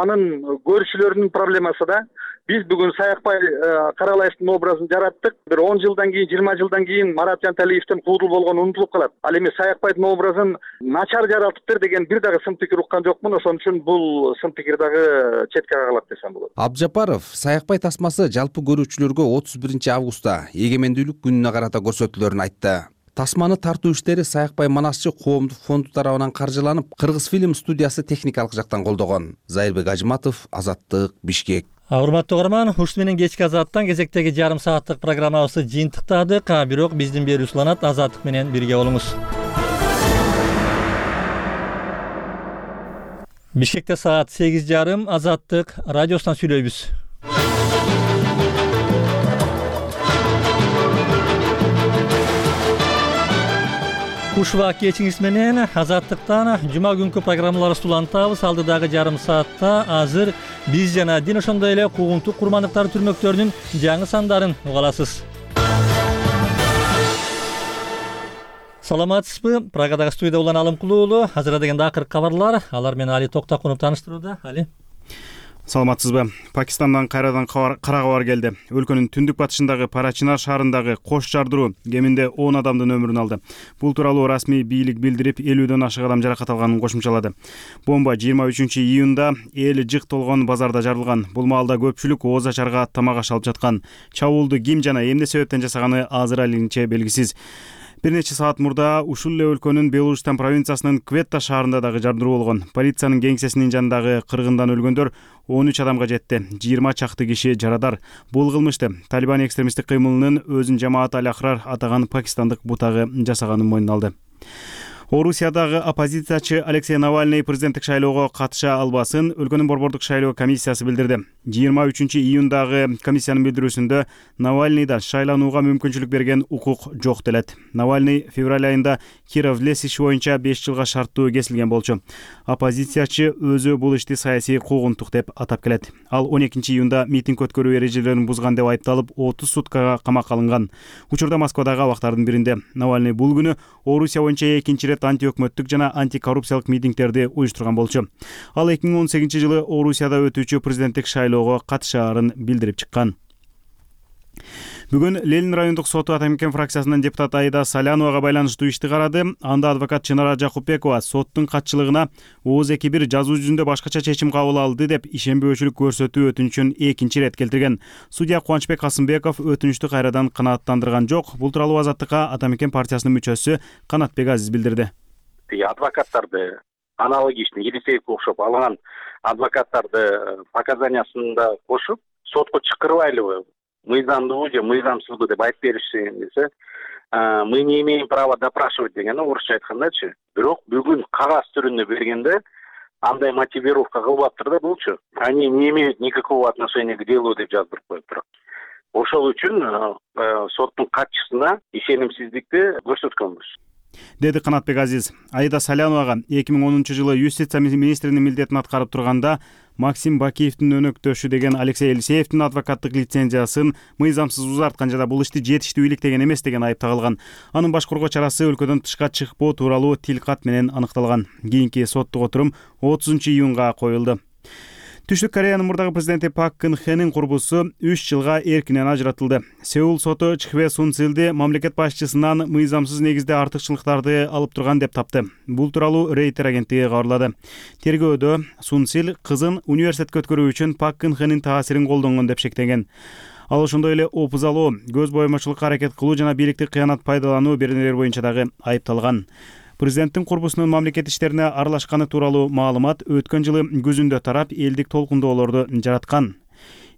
Speaker 6: анын көрүүчүлөрүнүн проблемасы да. Биз бүгүн Саякбай Каралаевдин образын жараттык. Бир он жылдан кийин, жыйырма жылдан кийин Марат Жанталиевдин куудул болгону унутулуп калат. Ал эми Саякбайдын образын начар жаратыптыр деген бир дагы сын пикир уккан жокмун. Ошон үчүн бул сын пикир дагы четке кагылат десем болот.
Speaker 19: Абжапаров Саякбай тасмасы жалпы көрүүчүлөргө отуз биринчи августта эгемендүүлүк күнүнө карата көрсөтүлөрүн айтты. Тасманы тартуу иштери Саякбай Манасчы коомдук фонду тарабынан каржыланып, Кыргыз фильм студиясы техникалык жактан колдогон. Зайырбек Ажыматов, Азаттык, Бишкек.
Speaker 1: Урматтуу угарман, ушуну менен кечки Азаттан кезектеги жарым сааттык программабызды жыйынтыктадык. Бирок биздин берүү уланат. Азаттык менен бирге болуңуз. Бишкекте саат сегиз жарым. Азаттык радиосунан сүйлөйбүз. Ушуба кечиңиз менен Азаттыктан жума күнкү программаларыбызды улантабыз. Алдыдагы жарым саатта азыр биз жана дин ошондой эле куугунтук курмандыктары түрмөктөрүнүн жаңы сандарын уга аласыз. Саламатсызбы? Прагадагы студияда Улан Алымкулуу уулу. Азыр дегенде акыркы кабарлар. Алар менен Али Токтакунов тааныштырууда. Али.
Speaker 4: Саламатсызбы? Пакистандан кайрадан кара кабар келди. Өлкөнүн түндүк батышындагы Парачинар шаарындагы Кош жардыруу кеминде он адамдын өмүрүн алды. Бул тууралуу расмий бийлик билдирип, элүүдөн ашык адам жаракат алганын кошумчалады. Бомба жыйырма үчүнчү июнда эли жык толгон базарда жарылган. Бул маалда көпчүлүк ооз ачарга тамак аш алып жаткан. Чабуулду ким жана эмне себептен жасаганы азыр алинче белгисиз. Бир нече саат мурда ушул эле өлкөнүн Белужстан провинциясынын Кветта шаарында дагы жардыруу болгон. Полициянын кеңсесинин жанындагы кыргындан өлгөндөр он үч адамга жетти. жыйырма чакты киши жарадар. Бул кылмышты Талибан экстремисттик кыймылынын өзүн жамаат аль-Ахрар атаган пакистандык бутагы жасаганын мойнуна алды. Орусиядагы оппозициячы Алексей Навальный президенттик шайлоого катыша албасын өлкөнүн борбордук шайлоо комиссиясы билдирди. жыйырма үчүнчү июндагы комиссиянын билдирүүсүндө Навальныйда шайланууга мүмкүнчүлүк берген укук жок делет. Навальный февраль айында Киров-Лес иши боюнча беш жылга шарттуу кесилген болчу. Оппозициячы өзү бул ишти саясий куугунтук деп атап келет. Ал он экинчи июнда митинг өткөрүү эрежелерин бузган деп айыпталып, отуз суткага камакка алынган. Учурда Москвадагы абактардын биринде Навальный бул күнү Орусия боюнча экинчи рет антиөкмөттүк жана антикоррупциялык митингтерди уюштурган болчу. Ал эки миң он сегизинчи жылы Орусияда өтүүчү президенттик шайлоого катышаарын билдирип чыккан. Бүгүн Ленин райондук соту Атамекен фракциясынын депутаты Аида Саляновага байланыштуу ишти карады. Анда адвокат Чынара Жакупбекова соттун катчылыгына ооз эки бир жазуу жүзүндө башкача чечим кабыл алды деп ишенбөөчүлүк көрсөтүү өтүнүчүн экинчи ирет келтирген. Судья Кубанычбек Касымбеков өтүнүчтү кайрадан канааттандырган жок. Бул тууралуу Азаттыкка Атамекен партиясынын мүчөсү Канатбек Азиз билдирди.
Speaker 23: Адвокаттарды аналогичный Елисеевке окшоп алган адвокаттарды показаниясында кошуп сотко чакырбайлыбы, мыйзамдуу же мыйзамсызбы деп айтып беришsin десе, мы не имеем права допрашивать деген орусча айткандачы. Бирок бүгүн кагаз түрүндө бергенде андай мотивировка кылбаптыр да булчу. Они не имеют никакого отношения к делу деп жаздырып коюптур. Ошол үчүн соттун катчысына ишенимсиздикти көрсөткөнбүз,
Speaker 4: деди Канатбек Азиз. Аида Саляновага эки миң онунчу жылы юстиция министринин милдетин аткарып турганда Максим Бакиевдин өнөктөшү деген Алексей Елисеевдин адвокаттык лицензиясын мыйзамсыз узарткан жана бул ишти жетиштүү иликтеген эмес деген айып тагылган. Анын баш коргоо чарасы өлкөдөн тышка чыкпоо тууралуу тилкат менен аныкталган. Кийинки соттук отурум отузунчу июнга коюлду. Түштүк Кореянын мурдагы президенти Пак Кын Хенин курбусу үч жылга эркинен ажыратылды. Сеул соту Чхве Сун Силди мамлекет башчысынан мыйзамсыз негизде артыкчылыктарды алып турган деп тапты. Бул тууралуу Рейтер агенттиги кабарлады. Тергөөдө Сун Сил кызын университетке өткөрүү үчүн Пак Кын Хенин таасирин колдонгон деп шектенген. Ал ошондой эле опузалоо, көз боемочулукка аракет кылуу жана бийликти кыянат пайдалануу беренелер боюнча дагы айыпталган. Президенттин курбусунун мамлекет иштерине аралашканы тууралуу маалымат өткөн жылы күзүндө тарап элдик толкундоолорду жараткан.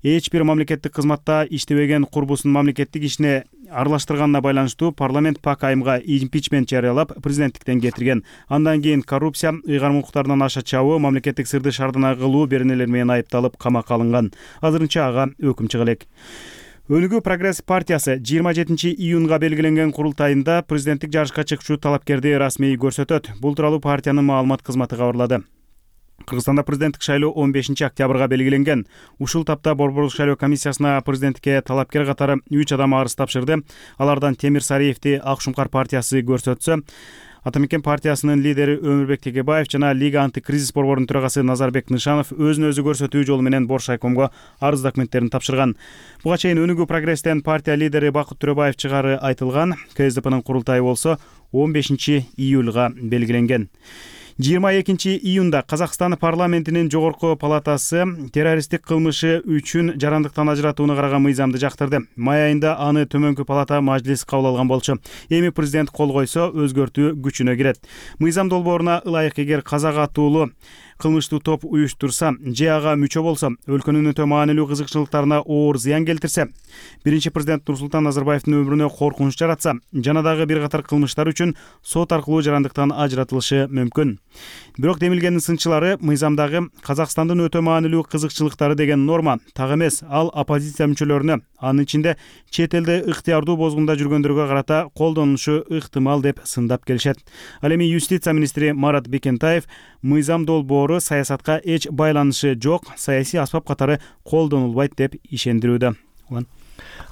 Speaker 4: эч бир мамлекеттик кызматта иштебеген курбусун мамлекеттик ишине аралаштырганына байланыштуу парламент Пак Айымга импичмент жарыялап президенттиктен кетирген. Андан кийин коррупция, ыйгарым укуктарынан аша чабуу, мамлекеттик сырды шардана кылуу беренелер менен айыпталып камакка алынган. Азырынча ага өкүм чыга элек. Өнүгүү прогресс партиясы жыйырма жетинчи июнга белгиленген курултайында президенттик жарышка чыкчу талапкерди расмий көрсөтөт. Бул тууралуу партиянын маалымат кызматы кабарлады. Кыргызстанда президенттик шайлоо он бешинчи октябрга белгиленген. Ушул тапта Борбордук шайлоо комиссиясына президенттикке талапкер катары үч адам арыз тапшырды. Алардан Темир Сариевди Ак Шумкар партиясы көрсөтсө, Атамекен партиясынын лидери Өмүрбек Тегебаев жана Лига антикризис борборунун төрагасы Назарбек Нышанов өзүн өзү көрсөтүү жолу менен Боршайкомго арыз документтерин тапшырган. Буга чейин Өнүгүү прогресстен партия лидери Бакыт Төрөбаев чыгары айтылган. КСДПнын курултайы болсо он бешинчи июлга белгиленген. жыйырма экинчи июнда Казакстан парламентинин жогорку палатасы террористтик кылмышы үчүн жарандыктан ажыратууну караган мыйзамды жактырды. Май айында аны төмөнкү палата мажлис кабыл алган болчу. Эми президент кол койсо, өзгөртүү күчүнө кирет. Мыйзам долбооруна ылайык эгер казак атуулуу кылмыштуу топ уюштурса же ага мүчө болсо, өлкөнүн өтө маанилүү кызыкчылыктарына оор зыян келтирсе, биринчи президент Нурсултан Назарбаевдин өмүрүнө коркунуч жаратса, жана дагы бир катар кылмыштар үчүн сот аркылуу жарандыктан ажыратылышы мүмкүн. Бирок демилгендин сынчылары мыйзамдагы Казакстандын өтө маанилүү кызыкчылыктары деген норма так эмес, ал оппозиция мүчөлөрүнө, анын ичинде чет элде ыктыярдуу бозгунда жүргөндөргө карата колдонулушу ыктымал деп сындап келишет. Ал эми юстиция министри Марат Бекентаев мыйзам долбоору саясатка эч байланышы жок, саясий аспап катары колдонулбайт деп ишендирүүдө.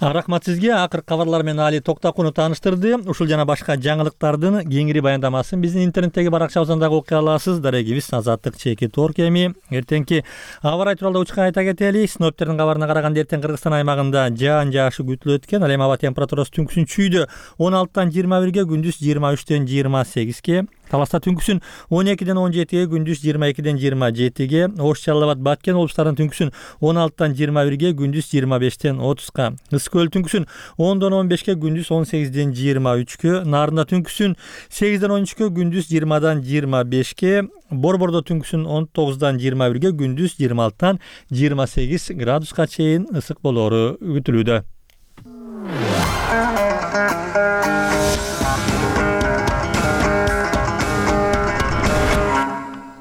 Speaker 4: Рахмат сизге. Акыркы кабарлар менен Али Токтакунов тааныштырды. Ушул жана башка жаңылыктардын кеңири баяндамасын биздин интернеттеги баракчабыздан дагы окуй аласыз. Дарегибиз Азаттык чеки Торк. Эми эртеңки аба ырайы тууралуу учка айта кетели. Синоптиктердин кабарына караганда эртең Кыргызстан аймагында жаан жаашы күтүлөт экен. Ал эми аба температурасы түнкүсүн чүйдө он алтыдан жыйырма бирге, күндүз жыйырма үчтөн жыйырма сегизге, Таласта түнкүсүн он экиден он жетиге, күндүз жыйырма экиден жыйырма жетиге, Ош, Жалал Абад, Баткен облустарынын түнкүсүн он алтыдан жыйырма бирге, күндүз жыйырма бештен отузга, Ысык көл түнкүсүн ондон он бешке, күндүз он сегизден жыйырма үчкө, Нарында түнкүсүн сегизден он үчкө, күндүз жыйырмадан жыйырма бешке, Борбордо түнкүсүн он тогуздан жыйырма бирге, күндүз жыйырма алтыдан жыйырма сегиз градуска чейин ысык болоору күтүлүүдө.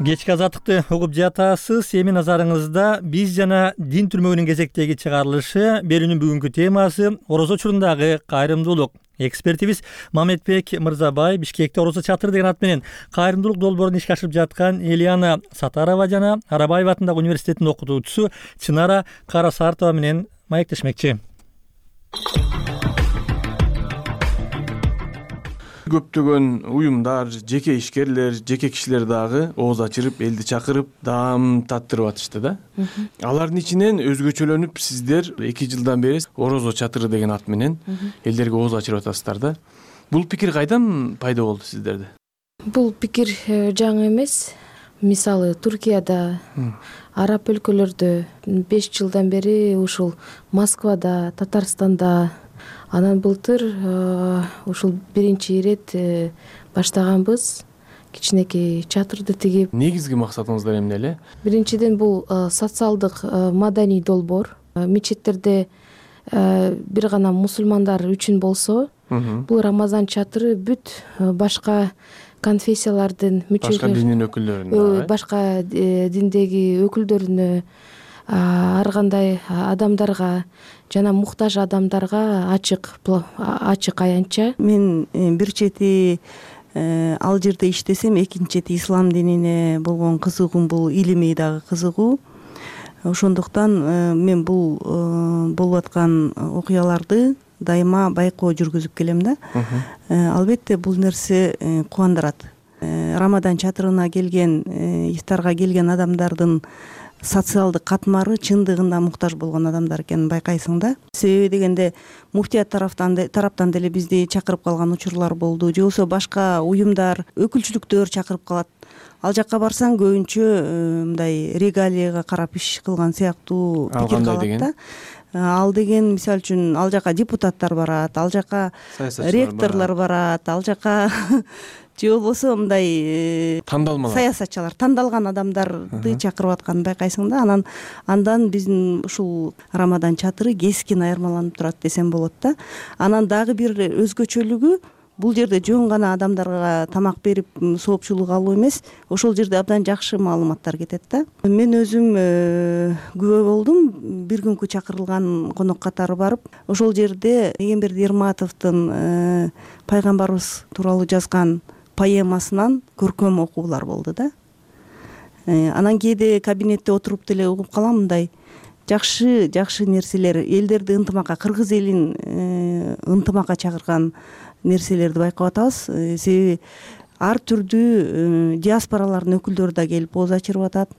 Speaker 4: Кечки азаттыкты угуп жатасыз. Эми назарыңызда биз жана дин түрмөгүнүн кезектеги чыгарылышы берүүнүн бүгүнкү темасы орозо учурундагы кайрымдуулук. Экспертибиз Мамедбек Мырзабай Бишкекте орозо чатыры деген ат менен кайрымдуулук долбоорун ишке ашырып жаткан Элиана Сатарова жана Арабаев атындагы университеттин окутуучусу Чынара Карасартова менен маектешмекчи.
Speaker 2: Көптөгөн уюмдар, жеке ишкерлер, жеке кишилер дагы ооз ачырып, элди чакырып, даам таттырып атышты да. Алардын ичинен өзгөчөлөнүп сиздер эки жылдан бери орозо чатыры деген ат менен элдерге ооз ачырып атасыздар да. Бул пикир кайдан пайда болду сиздерде?
Speaker 7: Бул пикир жаңы эмес. Мисалы Туркияда, араб өлкөлөрдө беш жылдан бери ушул Москвада, Татарстанда, анан былтыр ушул биринчи ирет баштаганбыз. Кичинекей чатырды тигип.
Speaker 2: Негизги максатыңыздар эмне эле?
Speaker 7: Биринчиден бул социалдык маданий долбоор. Мечеттерде бир гана мусулмандар үчүн болсо, бул Рамазан чатыры бүт башка конфессиялардын мүчөлөрү,
Speaker 2: башка диндин өкүлдөрүнө,
Speaker 7: башка диндеги өкүлдөрүнө, ар кандай адамдарга жана муктаж адамдарга ачык ачык аянтча.
Speaker 8: Мен бир чети ал жерде иштесем, экинчи чети ислам динине болгон кызыгуум, бул илимий дагы кызыгуу. Ошондуктан мен бул болуп аткан окуяларды дайыма байкоо жүргүзүп келем да. Албетте бул нерсе кубандырат. Рамадан чатырына келген, ифтарга келген адамдардын социалдык катмары чындыгында муктаж болгон адамдар экенин байкайсың да. Себеби дегенде муфтият тараптан тараптан деле бизди чакырып калган учурлар болду. Же болбосо башка уюмдар, өкүлчүлүктөр чакырып калат. Ал жакка барсаң көбүнчө мындай регалияга карап иш кылган сыяктуу пикир калат да. Ал деген мисалы үчүн ал жака депутаттар барат, ал жака ректорлор барат, ал жака же болбосо мындай
Speaker 2: тандалмалар
Speaker 8: саясатчылар тандалган адамдарды чакырып атканын байкайсың да. Анан андан биздин ушул Рамадан чатыры кескин айырмаланып турат десем болот да. Анан дагы бир өзгөчөлүгү бул жерде жөн гана адамдарга тамак берип соопчулук алуу эмес, ошол жерде абдан жакшы маалыматтар кетет да. Мен өзүм күбө болдум. Бир күнкү чакырылган конок катары барып, ошол жерде Эгемберди Ерматовдун пайгамбарыбыз тууралуу жазган поэмасынан көркөм окуулар болду да. Анан кээде кабинетте отуруп деле угуп калам, мындай жакшы жакшы нерселер, элдерди ынтымакка, кыргыз элин ынтымакка чакырган нерселерди байкап атабыз. Себеби ар түрдүү диаспоралардын өкүлдөрү да келип ооз ачырып атат.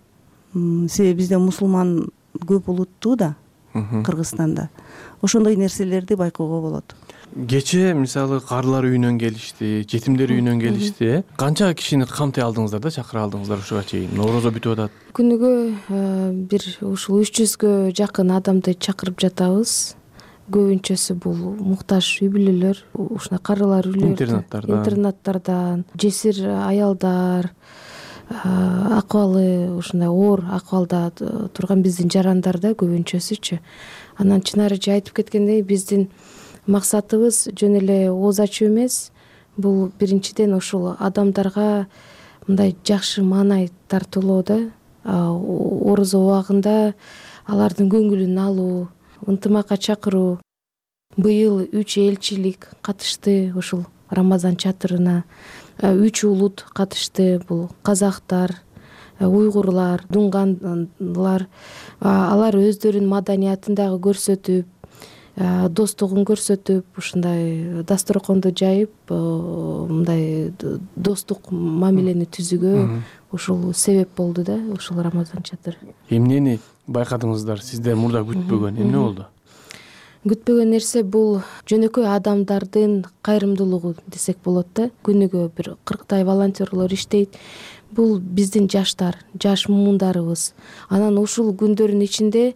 Speaker 8: Себеби бизде мусулман көп улуттуу да Кыргызстанда. Ошондой нерселерди байкоого болот.
Speaker 2: Кечээ мисалы карылар үйүнөн келишти, жетимдер үйүнөн келишти. Канча кишини камтай алдыңыздар да, чакыра алдыңыздар ушуга чейин? Норозо бүтүп атат.
Speaker 7: Күнүгө бир ушул үч жүзгө жакын адамды чакырып жатабыз. Көбүнчөсү бул муктаж үй бүлөлөр, ушундай карылар үйлөрдөн,
Speaker 2: интернаттардан,
Speaker 7: интернаттардан, жесир аялдар, акыбалы ушундай оор акыбалда турган биздин жарандар да көбүнчөсүчү. Анан чынарычы айтып кеткендей, биздин максатыбыз жөн эле ооз ачуу эмес, бул биринчиден ушул адамдарга мындай жакшы маанай тартуулоо да. Орозо убагында алардын көңүлүн алуу, ынтымакка чакыруу. Быйыл үч элчилик катышты ушул Рамазан чатырына. Үч улут катышты. Бул казактар, уйгурлар, дунганлар. Алар өздөрүнүн маданиятын дагы көрсөтүп, достугун көрсөтүп, ушундай дасторконду жайып, мындай достук мамилени түзүүгө ушул себеп болду да, ушул Рамазан чатыры.
Speaker 2: Эмнени байкадыңыздар? Сиздер мурда күтпөгөн эмне болду?
Speaker 7: Күтпөгөн нерсе бул жөнөкөй адамдардын кайрымдуулугу десек болот да. Күнүгө бир кырктай волонтерлор иштейт. Бул биздин жаштар, жаш муундарыбыз. Анан ушул күндөрдүн ичинде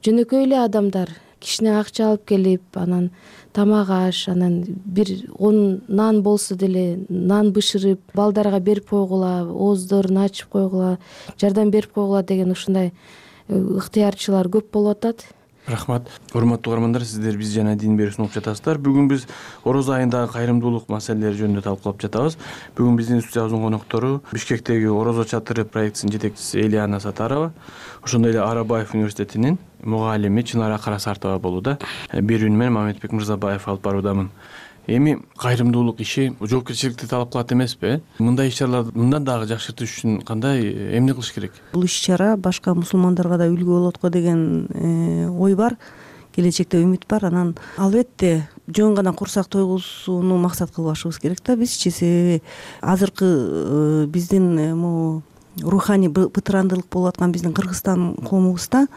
Speaker 7: жөнөкөй эле адамдар кичине акча алып келип, анан тамак аш, анан бир он нан болсо деле нан бышырып, балдарга берип койгула, ооздорун ачып койгула, жардам берип койгула деген ушундай ыктыярчылар көп болуп атат.
Speaker 2: Рахмат. Урматтуу угармандар, сиздер биз жана Дин берүүсүн угуп жатасыздар. Бүгүн биз Орозо айындагы кайрымдуулук маселелери жөнүндө талкуулап жатабыз. Бүгүн биздин студиябыздын коноктору Бишкектеги Орозо чатыры проектисинин жетекчиси Элиана Сатарова, ошондой эле Арабаев университетинин мугалими Чынара Карасартова болууда. Берүүнү мен Мамедбек Мырзабаев алып баруудамын. Эми кайрымдуулук иши жоопкерчиликти талап кылат эмеспи? Мындай иш-чараларды мындан дагы жакшыртыш үчүн кандай эмне кылыш керек?
Speaker 8: Бул иш-чара башка мусулмандарга да үлгү болот го деген ой бар. Келечекте үмүт бар. Анан албетте жөн гана курсак тойгузууну максат кылбашыбыз керек да бизчи. Себеби азыркы биздин могу руханий бытырандылык болуп аткан биздин Кыргызстан коомубузда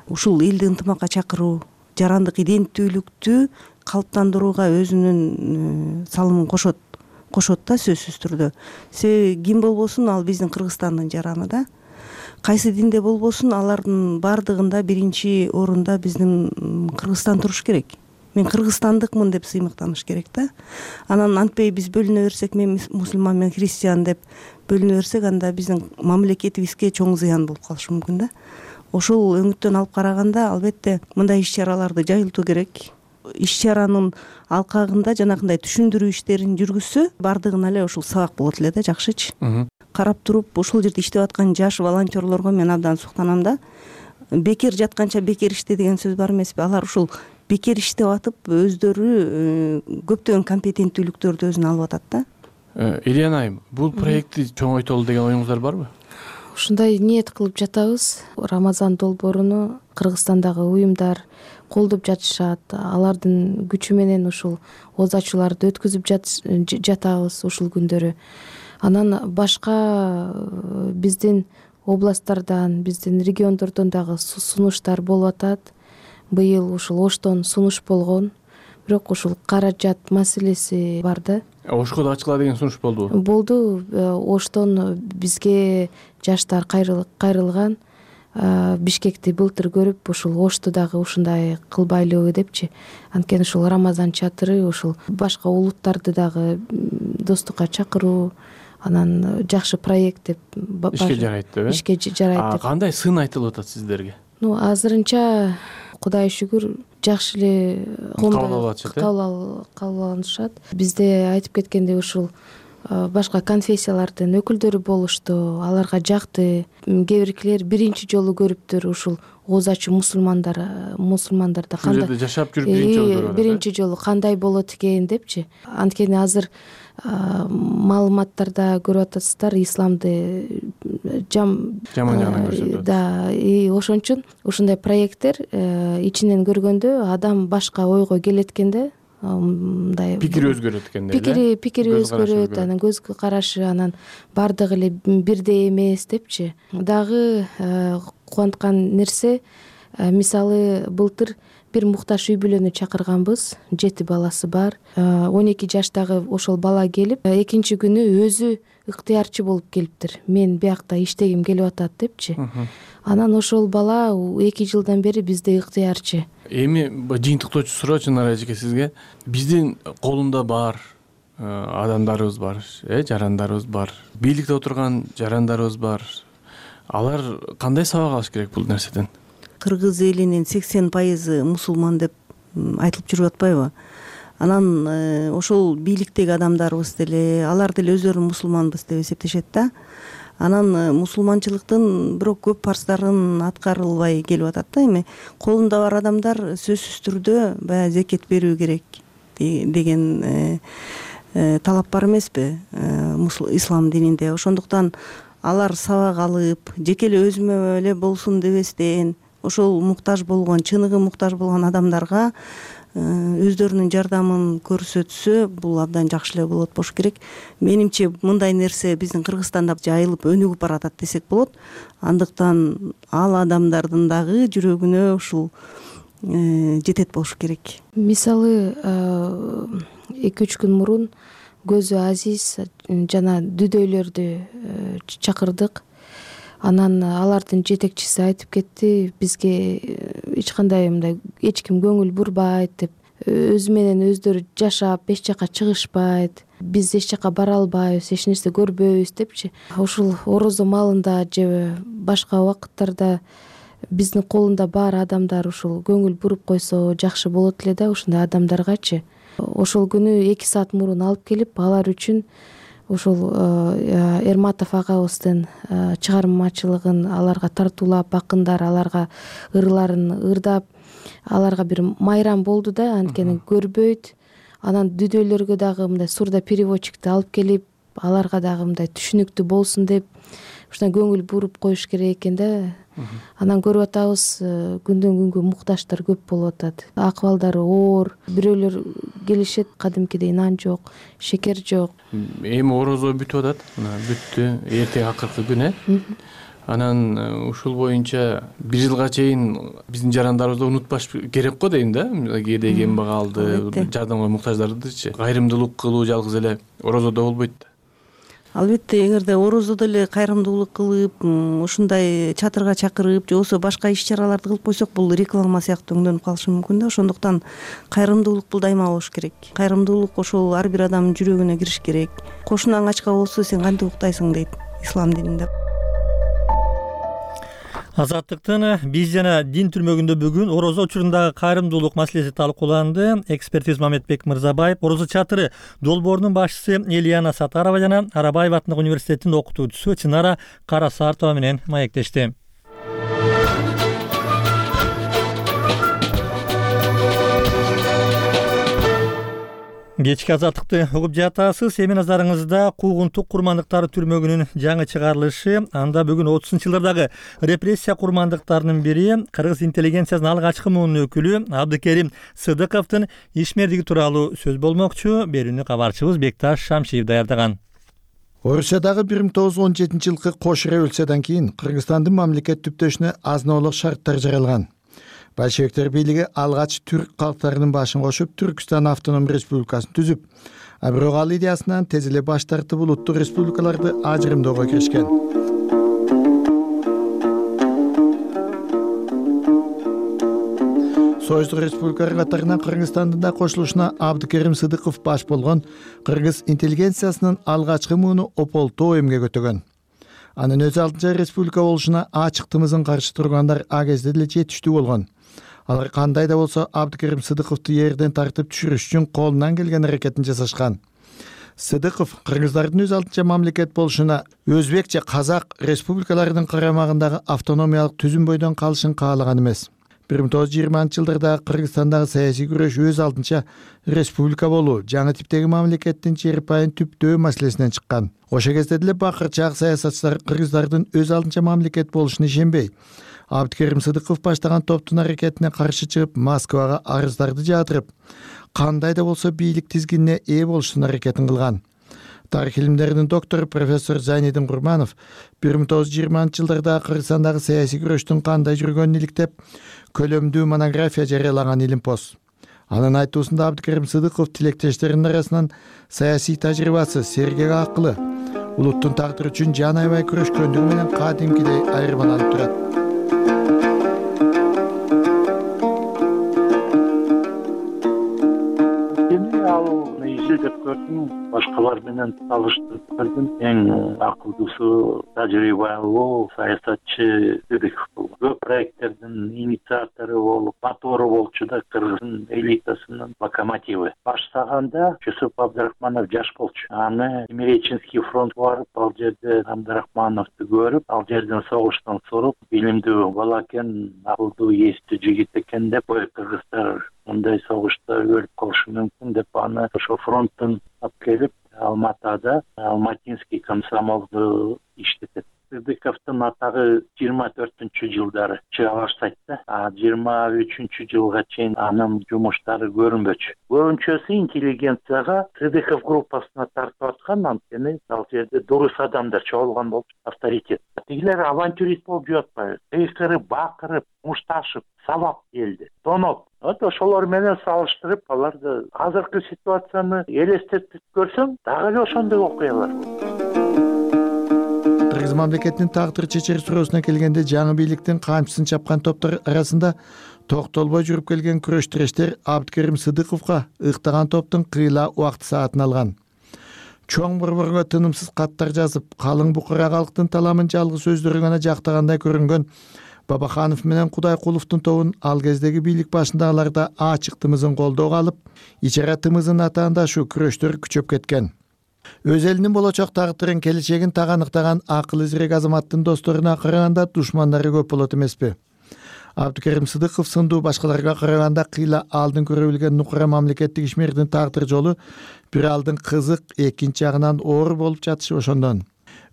Speaker 8: ушул элди ынтымакка чакыруу, жарандык иденттүүлүктү калыптандырууга өзүнүн салымын кошот кошот да сөзсүз түрдө. Себеби ким болбосун ал биздин Кыргызстандын жараны да. Кайсы динде болбосун алардын баардыгында биринчи орунда биздин Кыргызстан туруш керек. Мен кыргызстандыкмын деп сыймыктаныш керек да. Анан антпей биз бөлүнө берсек, мен мусулман, мен христиан деп бөлүнө берсек, анда биздин мамлекетибизге чоң зыян болуп калышы мүмкүн да. Ошол өңүттөн алып караганда албетте мындай иш-чараларды жайылтуу керек. Иш-чаранын алкагында жанагындай түшүндүрүү иштерин жүргүзсө, баардыгына эле ушул сабак болот эле да, жакшычы. Карап туруп ошол жерде иштеп аткан жаш волонтерлорго мен абдан суктанам да. Бекер жатканча бекер иште деген сөз бар эмеспи? Алар ушул бекер иштеп атып өздөрү көптөгөн компетенттүүлүктөрдү өзүнө алып атат да.
Speaker 2: Элиана айым, бул проектти чоңойтолу деген оюңуздар барбы?
Speaker 7: Ушундай ниет кылып жатабыз. Рамазан долбооруну Кыргызстандагы уюмдар колдоп жатышат. Алардын күчү менен ушул ооз ачууларды өткүзүп жатабыз ушул күндөрү. Анан башка биздин областтардан, биздин региондордон дагы сунуштар болуп атат. Быйыл ушул Оштон сунуш болгон, бирок ушул каражат маселеси бар да.
Speaker 2: Ошко да ачкыла деген сунуш болдубу?
Speaker 7: Болду. Оштон бизге жаштар кайрылган. Бишкекти былтыр көрүп ушул Ошту дагы ушундай кылбайлыбы депчи. Анткени ушул Рамазан чатыры ушул башка улуттарды дагы достукка чакыруу, анан жакшы проект деп
Speaker 2: ишке жарайт деп э
Speaker 7: ишке жарайт деп.
Speaker 2: Кандай сын айтылып атат сиздерге?
Speaker 7: Ну азырынча Кудайга шүгүр жакшы эле
Speaker 2: кабыл алып
Speaker 7: алышат. Бизде айтып кеткендей ушул башка конфессиялардын өкүлдөрү болушту, аларга жакты. Кээ биркилер биринчи жолу көрүптүр ушул ооз ачуу мусулмандар мусулмандарда
Speaker 2: кандай жашап жүрүп биринчи жолу көрүп атат.
Speaker 7: Биринчи жолу кандай болот экен депчи. Анткени азыр маалыматтарда көрүп атасыздар, исламды жам
Speaker 2: жаман жагынан көрсөтөт.
Speaker 7: Да, и ошон үчүн ушундай проекттер ичинен көргөндө адам башка ойго келет экен да. Мындай
Speaker 2: пикири өзгөрөт экен да.
Speaker 7: Пикири пикири өзгөрөт, анан көз карашы анан бардыгы эле бирдей эмес депчи. Дагы кубанткан нерсе, мисалы былтыр бир муктаж үй бүлөнү чакырганбыз, жети баласы бар. он эки жаштагы ошол бала келип, экинчи күнү өзү ыктыярчы болуп келиптир. Мен биякта иштегим келип атат депчи. Анан ошол бала эки жылдан бери бизде ыктыярчы.
Speaker 2: Эми жыйынтыктоочу суроо Чынар эжеке сизге. Биздин колунда бар адамдарыбыз бар, э, жарандарыбыз бар. Бийликте отурган жарандарыбыз бар. Алар кандай сабак алыш керек бул нерседен?
Speaker 8: Кыргыз элинин сексен пайызы мусулман деп айтылып жүрүп атпайбы? Анан ошол бийликтеги адамдарыбыз деле, алар деле өздөрүн мусулманбыз деп эсептешет да. Анан мусулманчылыктын бирок көп парздарын аткарылбай келип атат да. Эми колунда бар адамдар сөзсүз түрдө баягы зекет берүү керек деген талап бар эмеспи ислам дининде. Ошондуктан алар сабак алып, жеке эле өзүмө эле болсун дебестен, ошол муктаж болгон, чыныгы муктаж болгон адамдарга өздөрүнүн жардамын көрсөтсө, бул абдан жакшы эле болот болуш керек. Менимче мындай нерсе биздин Кыргызстанда жайылып өнүгүп баратат десек болот. Андыктан ал адамдардын дагы жүрөгүнө ушул жетет болуш керек.
Speaker 7: Мисалы эки үч күн мурун Көзү Азиз жана Дүдөйлөрдү чакырдык. Анан алардын жетекчиси айтып кетти, бизге эч кандай мындай эч ким көңүл бурбайт деп, өзү менен өздөрү жашап эч жака чыгышпайт, биз эч жака бара албайбыз, эч нерсе көрбөйбүз депчи. Ушул орозо маалында же башка убакыттарда биздин колунда бар адамдар ушул көңүл буруп койсо жакшы болот эле да, ушундай адамдаргачы. Ошол күнү эки саат мурун алып келип, алар үчүн ушул Эрматов агабыздын чыгармачылыгын аларга тартуулап, акындар аларга ырларын ырдап, аларга бир майрам болду да, анткени көрбөйт. Анан Дүдөйлөргө дагы мындай сурда переводчикти алып келип, аларга дагы мындай түшүнүктүү болсун деп, ушундай көңүл буруп коюш керек экен да. Анан көрүп атабыз, күндөн күнгө муктаждар көп болуп атат. Акыбалдары оор, бирөөлөр келишет, кадимкидей нан жок, шекер жок.
Speaker 2: Эми орозо бүтүп атат, бүттү, эртең акыркы күн э. Анан ушул боюнча бир жылга чейин биздин жарандарыбызды унутпаш керек го дейм да. Кээде кембагалды, жардамга муктаждардычы. Кайрымдуулук кылуу жалгыз эле орозодо болбойт да.
Speaker 8: Албетте, эгерде орозодо эле кайрымдуулук кылып, ушундай чатырга чакырып, же болбосо башка иш-чараларды кылып койсок, бул реклама сыяктуу өңдөнүп калышы мүмкүн да. Ошондуктан кайрымдуулук бул дайыма болуш керек. Кайрымдуулук ошол ар бир адамдын жүрөгүнө кириш керек. Кошунаң ачка болсо сен кантип уктайсың дейт ислам дининде.
Speaker 1: Азаттыктын биз жана дин түрмөгүндө бүгүн орозо учурундагы кайрымдуулук маселеси талкууланды. Эксперт Мамедбек Мырзабаев, орозо чатыры долбоорунун башчысы Элияна Сатарова жана Арабаев атындагы университеттин окутуучусу Чынара Карасартова менен маектешти. Кечки азаттыкты угуп жатасыз. Эми назарыңызда куугунтук курмандыктары түрмөгүнүн жаңы чыгарылышы. Анда бүгүн отузунчу жылдардагы репрессия курмандыктарынын бири кыргыз интеллигенциясынын алгачкы муунун өкүлү Абдыкерим Сыдыковдун ишмердиги тууралуу сөз болмокчу. Берүүнү кабарчыбыз Бекташ Шамшиев даярдаган.
Speaker 3: Орусиядагы бир миң тогуз жүз он жетинчи жылкы кош революциядан кийин Кыргызстандын мамлекет түптөшүнө азыноолук шарттар жаралган. Большевиктер бийлиги алгач түрк калктарынын башын кошуп, Түркстан автоном республикасын түзүп, а бирок ал идеясынан тез эле баш тартып улуттук республикаларды ажырымдоого киришкен. Союздук республикалар катарына Кыргызстандын да кошулушуна Абдыкерим Сыдыков баш болгон кыргыз интеллигенциясынын алгачкы мууну ополтоо эмге көтөгөн. Анын өз алдынча республика болушуна ачыктымызын каршы тургандар а кезде деле жетиштүү болгон. Алар кандай да болсо Абдыкерим Сыдыковду жерден тартып түшүрүш үчүн колунан келген аракетин жасашкан. Сыдыков кыргыздардын өз алдынча мамлекет болушуна өзбек же казак республикаларынын карамагындагы автономиялык түзүм бойдон калышын каалаган эмес. бир миң тогуз жүз жыйырманчы жылдарда Кыргызстандагы саясий күрөш өз алдынча республика болуу, жаңы типтеги мамлекеттин жер пайын түптөө маселесинен чыккан. Ошол кезде деле бакырчаак саясатчылар кыргыздардын өз алдынча мамлекет болушуна ишенбей, Абдыкерим Сыдыков баштаган топтун аракетине каршы чыгып, Москвага арыздарды жаадырып, кандай да болсо бийлик тизгинине ээ болуштун аракетин кылган. Тарих илимдеринин доктору профессор Зайнидин Курманов бир миң тогуз жүз жыйырманчы жылдарда Кыргызстандагы саясий күрөштүн кандай жүргөнүн иликтеп, көлөмдүү монография жарыялаган илимпоз. Анын айтуусунда Абдыкерим Сыдыков тилектештеринин арасынан саясий тажрыйбасы, сергек акылы, улуттун тагдыры үчүн жан аябай күрөшкөндүгү менен кадимкидей айырмаланып турат.
Speaker 9: Деп көрдүм, башкалар менен салыштырып көрдүм. Эң акылдуусу, тажрыйбалуу саясатчы Сыдыков болгон. Көп проекттердин инициатору болуп, мотору болчу да, кыргыздын элитасынын локомотиви. Баштаганда Жусуп Абдрахманов жаш болчу. Аны Тимиреченский фронтко барып, ал жерде Абдрахмановду көрүп, ал жерден согуштан соруп, билимдүү бала экен, акылдуу, эстүү жигит экен деп, ой, кыргыздар мындай согушта өлүп калышы мүмкүн деп аны ошо фронттон алып келип, Алматада Алматинский комсомолду иштетет. Сыдыковдун атагы жыйырма төртүнчү жылдары чыга баштайт да, а жыйырма үчүнчү жылга чейин анын жумуштары көрүнбөчү. Көбүнчөсү интеллигенцияга Сыдыков группасына тартып аткан, анткени ал жерде дурус адамдар чогулган болчу, авторитет. Тигилер авантюрист болуп жүрүп атпайбы? Кыйкырып, бакырып, мушташып, сабап элди, тоноп. Вот ошолор менен салыштырып, аларды азыркы ситуацияны элестетип көрсөң, дагы эле ошондой окуялар болот.
Speaker 3: Кыргыз мамлекетинин тагдыр чечер суроосуна келгенде, жаңы бийликтин камчысын чапкан топтор арасында токтолбой жүрүп келген күрөш тирештер Абдыкерим Сыдыковго ыктаган топтун кыйла убакыт саатын алган. Чоң борборго тынымсыз каттар жазып, калың букара калктын таламын жалгыз өздөрү гана жактагандай көрүнгөн Бабаханов менен Кудайкуловдун тобун ал кездеги бийлик башындагыларда ачыктымызын колдоого алып, ичара тымызын атаандашуу күрөштөр күчөп кеткен. Өз элинин болочок тагдырын, келечегин таганыктаган акыл изирек азаматтын досторуна караганда душмандары көп болот эмеспи? Абдыкерим Сыдыков сындуу башкаларга караганда кыйла алдын көрө билген нукура мамлекеттик ишмердин тагдыр жолу бир алдын кызык, экинчи жагынан оор болуп жатышы ошондон.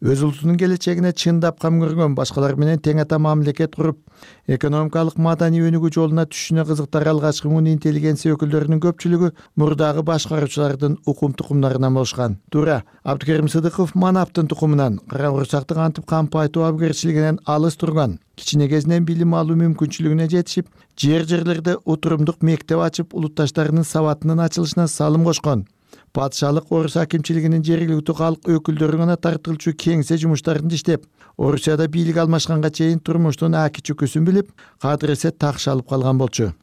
Speaker 3: Өз улутунун келечегине чындап кам көргөн, башкалар менен тең ата мамлекет куруп, экономикалык маданий өнүгүү жолуна түшүшүнө кызыктар алгачкы муун интеллигенция өкүлдөрүнүн көпчүлүгү мурдагы башкаруучулардын укум тукумдарынан болушкан. Туура, Абдыкерим Сыдыков манаптын тукумунан, кара курсактык антип кампайтуу абгерчилигинен алыс турган, кичине кезинен билим алуу мүмкүнчүлүгүнө жетишип, жер-жерлерде утурумдук мектеп ачып, улутташтарынын сабатынын ачылышына салым кошкон. Патшалык орус акимчилигинин жергиликтүү калк өкүлдөрү гана тартылчу кеңсе жумуштарын иштеп, Орусияда бийлик алмашканга чейин турмуштун аки чүкүсүн билип, кадыресе такшы алып калган болчу.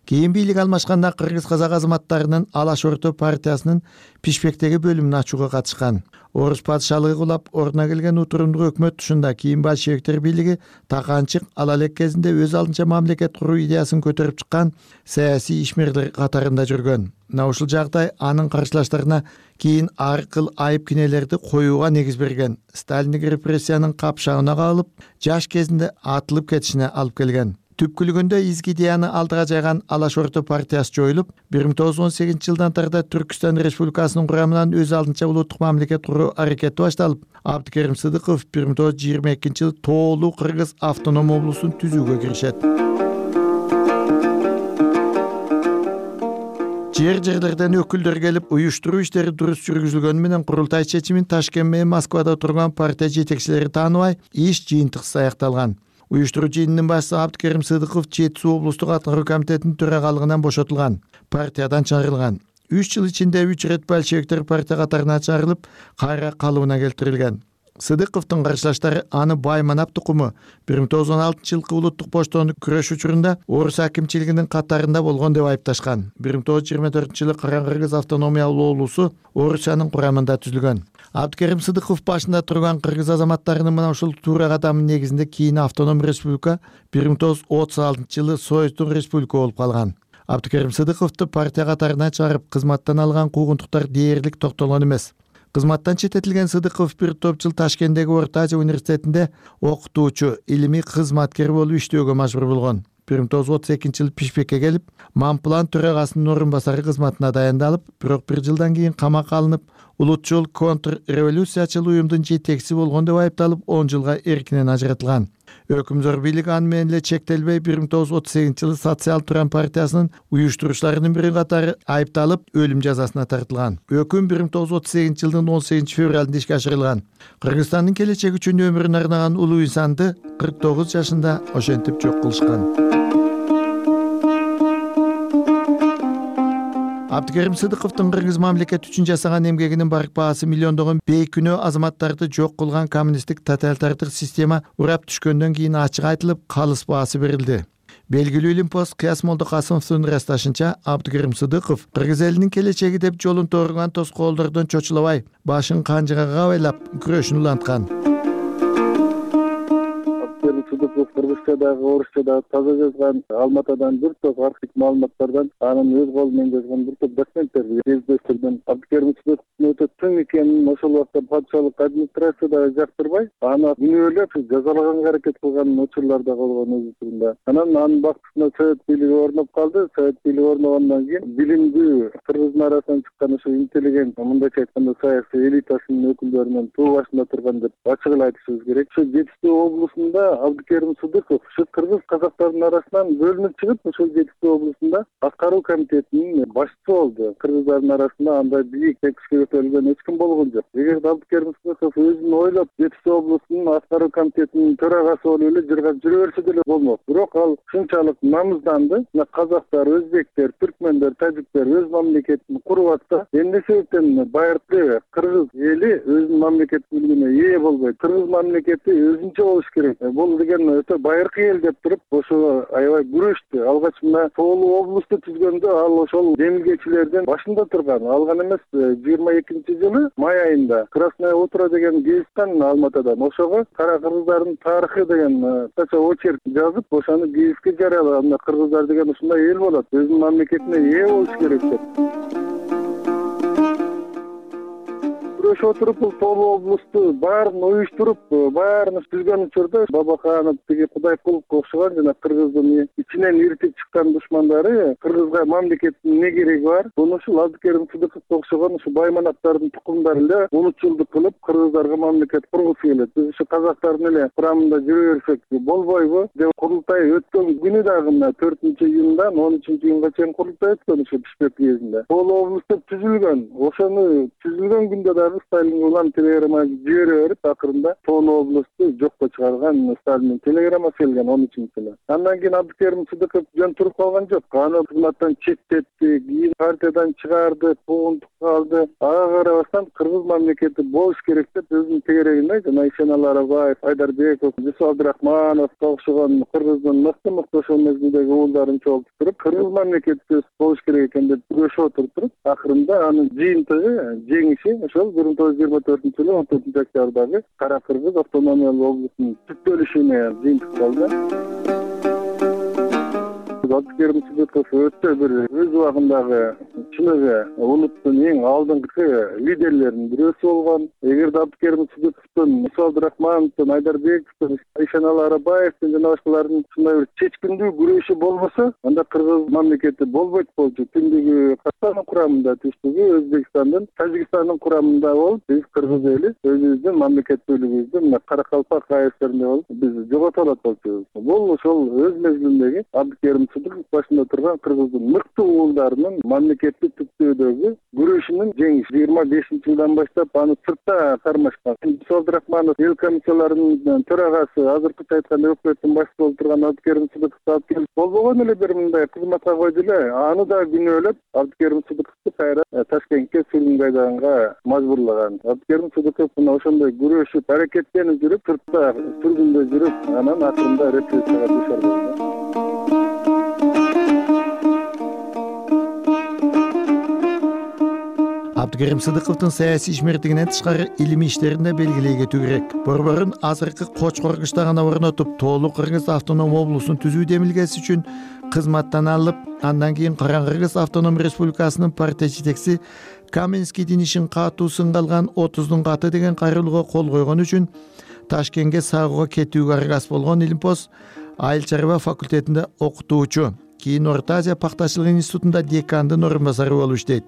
Speaker 3: Кийин бийлик алмашканда кыргыз казак азаматтарынын Алаш Орто партиясынын Пишпектеги бөлүмүн ачууга катышкан. Орус патшалыгы кулап ордуна келген утурумдук өкмөт тушунда кийин большевиктер бийлиги таканчык ала элек кезинде өз алдынча мамлекет куруу идеясын көтөрүп чыккан саясий ишмерлер катарында жүргөн. Мына ушул жагдай анын каршылаштарына кийин ар кыл айып кинелерди коюуга негиз берген. Сталиндик репрессиянын капшагына кабылып, жаш кезинде атылып кетишине алып келген. Түпкүлүгүндө изги идеяны алдыга жайган Алаш Орто партиясы жоюлуп, бир миң тогуз жүз он сегизинчи жылдан тарта Түркүстан Республикасынын курамынан өз алдынча улуттук мамлекет куруу аракети башталып, Абдыкерим Сыдыков бир миң тогуз жүз жыйырма экинчи жылы тоолуу кыргыз автоном облусун түзүүгө киришет. Жер-жерлерден өкүлдөр келип, уюштуруу иштери дурус жүргүзүлгөнү менен курултай чечимин Ташкент менен Москвада турган партия жетекчилери тааныбай, иш жыйынтыксыз аякталган. Уюштуруу жыйынынын башчысы Абдыкерим Сыдыков Жети Суу облустук аткаруу комитетинин төрагалыгынан бошотулган, партиядан чыгарылган. үч жыл ичинде үч ирет большевиктер партия катарына чыгарылып, кайра калыбына келтирилген. Сыдыковдун каршылаштары аны Байманап тукуму бир миң тогуз жүз он алтынчы жылкы улуттук поштону күрөш учурунда орус акимчилигинин катарында болгон деп айыпташкан. бир миң тогуз жүз жыйырма төртүнчү жылы Кыргыз автономиялуу облусу Орусиянын курамында түзүлгөн. Абдыкерим Сыдыков башында турган кыргыз азаматтарынын мына ушул туура кадамынын негизинде кийин автоном республика бир миң тогуз жүз отуз алтынчы жылы Союздун республика болуп калган. Абдыкерим Сыдыковду партия катарына чыгарып, кызматтан алган куугунтуктар дээрлик токтолгон эмес. Кызматтан четтетилген Сыдыков бир топ жыл Ташкенттеги Орто Азия университетинде окутуучу, илимий кызматкер болуп иштөөгө мажбур болгон. бир миң тогуз жүз отуз экинчи жылы Пишпекке келип, Мамплан төрагасынын орун басары кызматына дайындалып, бирок бир жылдан кийин камакка алынып, улутчул контрреволюциячыл уюмдун жетекчиси болгон деп айыпталып, он жылга эркинен ажыратылган. Өкүмзөр бийлик аны менен эле чектелбей, бир миң тогуз жүз отуз сегизинчи жылы Социал Туран партиясынын уюштуруучуларынын бири катары айыпталып, өлүм жазасына тартылган. Өкүм бир миң тогуз жүз отуз сегизинчи жылдын он сегизинчи февралында ишке ашырылган. Кыргызстандын келечеги үчүн өмүрүн арнаган улуу инсанды кырк тогуз жашында ошентип жок кылышкан. Абдыкерим Сыдыковдун кыргыз мамлекети үчүн жасаган эмгегинин барк баасы миллиондогон бейкүнөө азаматтарды жок кылган коммунисттик тоталитардык система урап түшкөндөн кийин ачык айтылып, калыс баасы берилди. Белгилүү Илимпост Кыяс Молдокасымовдун ырасташынча, Абдыкерим Сыдыков кыргыз элинин келечеги деп жолун торгон тоскоолдордон чочулабай, башын канжыга кабайлап күрөшүн уланткан.
Speaker 10: Сыдыков кыргызча дагы, орусча дагы таза жазган, Алматадан бир топ архив маалыматтардан, анын өз колу менен жазган бир топ документтерди кездештирдим. Абдыкерим Сыдыковдун өтө тың экенин ошол убакта патшалык администрация дагы жактырбай, аны күнөөлөп жазалаганга аракет кылган учурлар да болгон өз учурунда. Анан анын бактысына Совет бийлиги орноп калды. Совет бийлиги орногондон кийин билимдүү кыргыздын арасынан чыккан ошо интеллигент, мындайча айтканда саясий элитасынын өкүлдөрүнөн туу башында турган деп ачык эле айтышыбыз керек. Ошо Жетиштүү облусунда Абдыкерим Сыдыков ушу кыргыз казактардын арасынан бөлүнүп чыгып, ошол Жетиштүү облусунда аткаруу комитетинин башчысы болду. Кыргыздардын арасында андай бийик текишке көтөрүлгөн эч ким болгон жок. Эгерде Абдыкерим Сыдыков өзүн ойлоп Жетиштүү облусунун аткаруу комитетинин төрагасы болуп эле жыргап жүрө берсе деле болмок. Бирок ал ушунчалык намызданды. Казактар, өзбектер, түркмөндөр, тажиктер өз мамлекетин куруп атса, эмне себептен байыркы кыргыз эли өзүнүн мамлекеттүүлүгүнө ээ болбойт? Кыргыз мамлекети өзүнчө болуш керек. Бул деген өтө байыркы эл деп туруп, ошо аябай күрөштү. Алгач мына Тоолуу облусту түзгөндө ал ошол демилгечилердин башында турган. Алган эмес, жыйырма экинчи жылы май айында Красное утро деген гезиттен Алматадан ошого кара кыргыздардын тарыхы деген кыска очерк жазып, ошону гезитке жарыялаган. Кыргыздар деген ушундай эл болот, өзүнүн мамлекетине ээ болуш керек деп. Ошо туруп бул Тоолуу облусту баарын уюштуруп, баарын түзгөн учурда Бабаканов тиги Кудайкуловго окшогон жана кыргыздын ичинен иртип чыккан душмандары кыргызга мамлекеттин эмне кереги бар? Буну ушул Абдыкерим Сыдыковго окшогон ушу Байманаптардын тукумдары эле улутчулдук кылып кыргыздарга мамлекет кургусу келет. Биз ушу казактардын эле курамында жүрө берсек болбойбу деп курултай өткөн күнү дагы мына төртүнчү июндан он үчүнчү июнга чейин курултай өткөн ушу Бишкек уездинде. Тоолуу облусту түзүлгөн. Ошону түзүлгөн күндө дагы Сталин улам телеграмма жибере берип, акырында Тоолуу облусту жокко чыгарган Сталиндин телеграммасы келген он үчүнчү жылы. Андан кийин Абдыкерим Сыдыков жөн туруп калган жок. Аны кызматтан четтетти, кийин партиядан чыгарды, куугунтукка алды. Ага карабастан кыргыз мамлекети болуш керек деп өзүнүн тегерегинде жана Ишеналы Арабаев, Айдарбеков, Жусуп Абдрахмановго окшогон кыргыздын мыкты мыкты ошол мезгилдеги уулдарын чогултуп, кыргыз мамлекети болуш керек экен деп күрөшүп отуруп, акырында анын жыйынтыгы, жеңиши ошол бир миң тогуз жүз жыйырма төртүнчү жылы он төртүнчү октябрдагы Кара Кыргыз автономиялуу облусунун түптөлүшүнө жыйынтык болду. Абдыкерим Сыдыков өтө бир өз убагындагы чыныгы улуттун эң алдыңкы лидерлеринин бирөөсү болгон. Эгерде Абдыкерим Сыдыковдун, Жусуп Абдрахмановдун, Айдарбековдун, Ишеналы Арабаевдин жана башкалардын ушундай бир чечкиндүү күрөшү болбосо, анда кыргыз мамлекети болбойт болчу. Түндүгү Казакстандын курамында, түштүгү Өзбекстандын, Тажикстандын курамында болуп, биз кыргыз эли өзүбүздүн мамлекеттүүлүгүбүздү мына Каракалпак АЭСтеринде болуп, биз жогото алат болчубуз. Бул ошол өз мезгилиндеги Абдыкерим башында турган кыргыздын мыкты уулдарынын мамлекетти түптөөдөгү күрөшүнүн жеңиши жыйырма бешинчи жылдан баштап аны сыртта кармашкан. Мусо Абдрахманов эл комиссияларынын төрагасы, азыркыча айтканда өкмөттүн башчысы болуп турган Абдыкерим Сыдыковду алып келип болбогон эле бир мындай кызматка койду эле. Аны да күнөөлөп Абдыкерим Сыдыковду кайра Ташкентке сүргүнгө айдаганга мажбурлаган. Абдыкерим Сыдыков мына ошондой күрөшүп, аракеттенип жүрүп, сыртта сүргүндө жүрүп, анан акырында репрессияга дуушар болду.
Speaker 3: Абдыкерим Сыдыковдун саясий ишмердигинен тышкары илимий иштерин да белгилей кетүү керек. Борборун азыркы Кочкор кыштагына орнотуп, Тоолу Кыргыз автоном облусун түзүү демилгеси үчүн кызматтан алып, андан кийин Караң Кыргыз автоном республикасынын партия жетекчиси Каменскийдин ишин катуу сынга алган отуздун каты деген кайрылууга кол койгон үчүн Ташкентке сагууга кетүүгө аргас болгон Илимпоз айыл чарба факультетинде окутуучу, кийин Орто Азия пактачылык институтунда декандын орун басары болуп иштейт.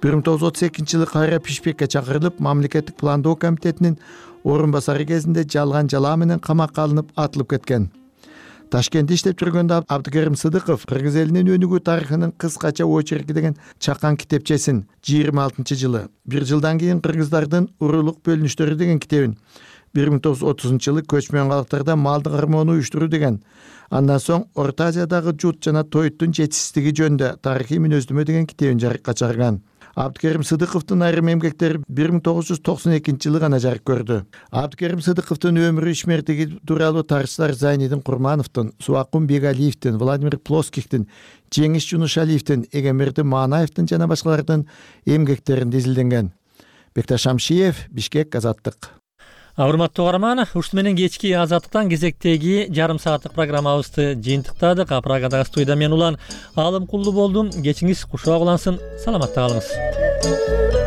Speaker 3: бир миң тогуз жүз отуз экинчи жылы кайра Пишпекке чакырылып, мамлекеттик пландоо комитетинин орун басары кезинде жалган жалаа менен камакка алынып атылып кеткен. Ташкентте иштеп жүргөндө Абдыкерим Сыдыков кыргыз элинин өнүгүү тарыхынын кыскача очерки деген чакан китепчесин жыйырма алтынчы жылы, бир жылдан кийин кыргыздардын урулук бөлүнүштөрү деген китебин, бир миң тогуз жүз отузунчу жылы көчмөн калктарда малды кармоону уюштуруу деген, андан соң Орто Азиядагы жут жана тоюттун жетишсиздиги жөнүндө тарыхый мүнөздөмө деген китебин жарыкка чыгарган. Абдыкерим Сыдыковдун айрым эмгектери бир миң тогуз жүз токсон экинчи жылы гана жарык көрдү. Абдыкерим Сыдыковдун өмүрү ишмердиги тууралуу тарыхчылар Зайнидин Курмановдун, Субакун Бегалиевдин, Владимир Плоскихтин, Жеңиш Жунушалиевдин, Эгемерди Манаевдин жана башкалардын эмгектеринде изилденген. Бекташ Шамшиев, Бишкек, Азаттык.
Speaker 1: Урматтуу угарман, ушул менен кечки Азаттыктан кезектеги жарым сааттык программабызды жыйынтыктадык. Программадагы студияда мен Улан Алымкулду болдум. Кечиңиз кушак улансын. Саламатта калыңыз.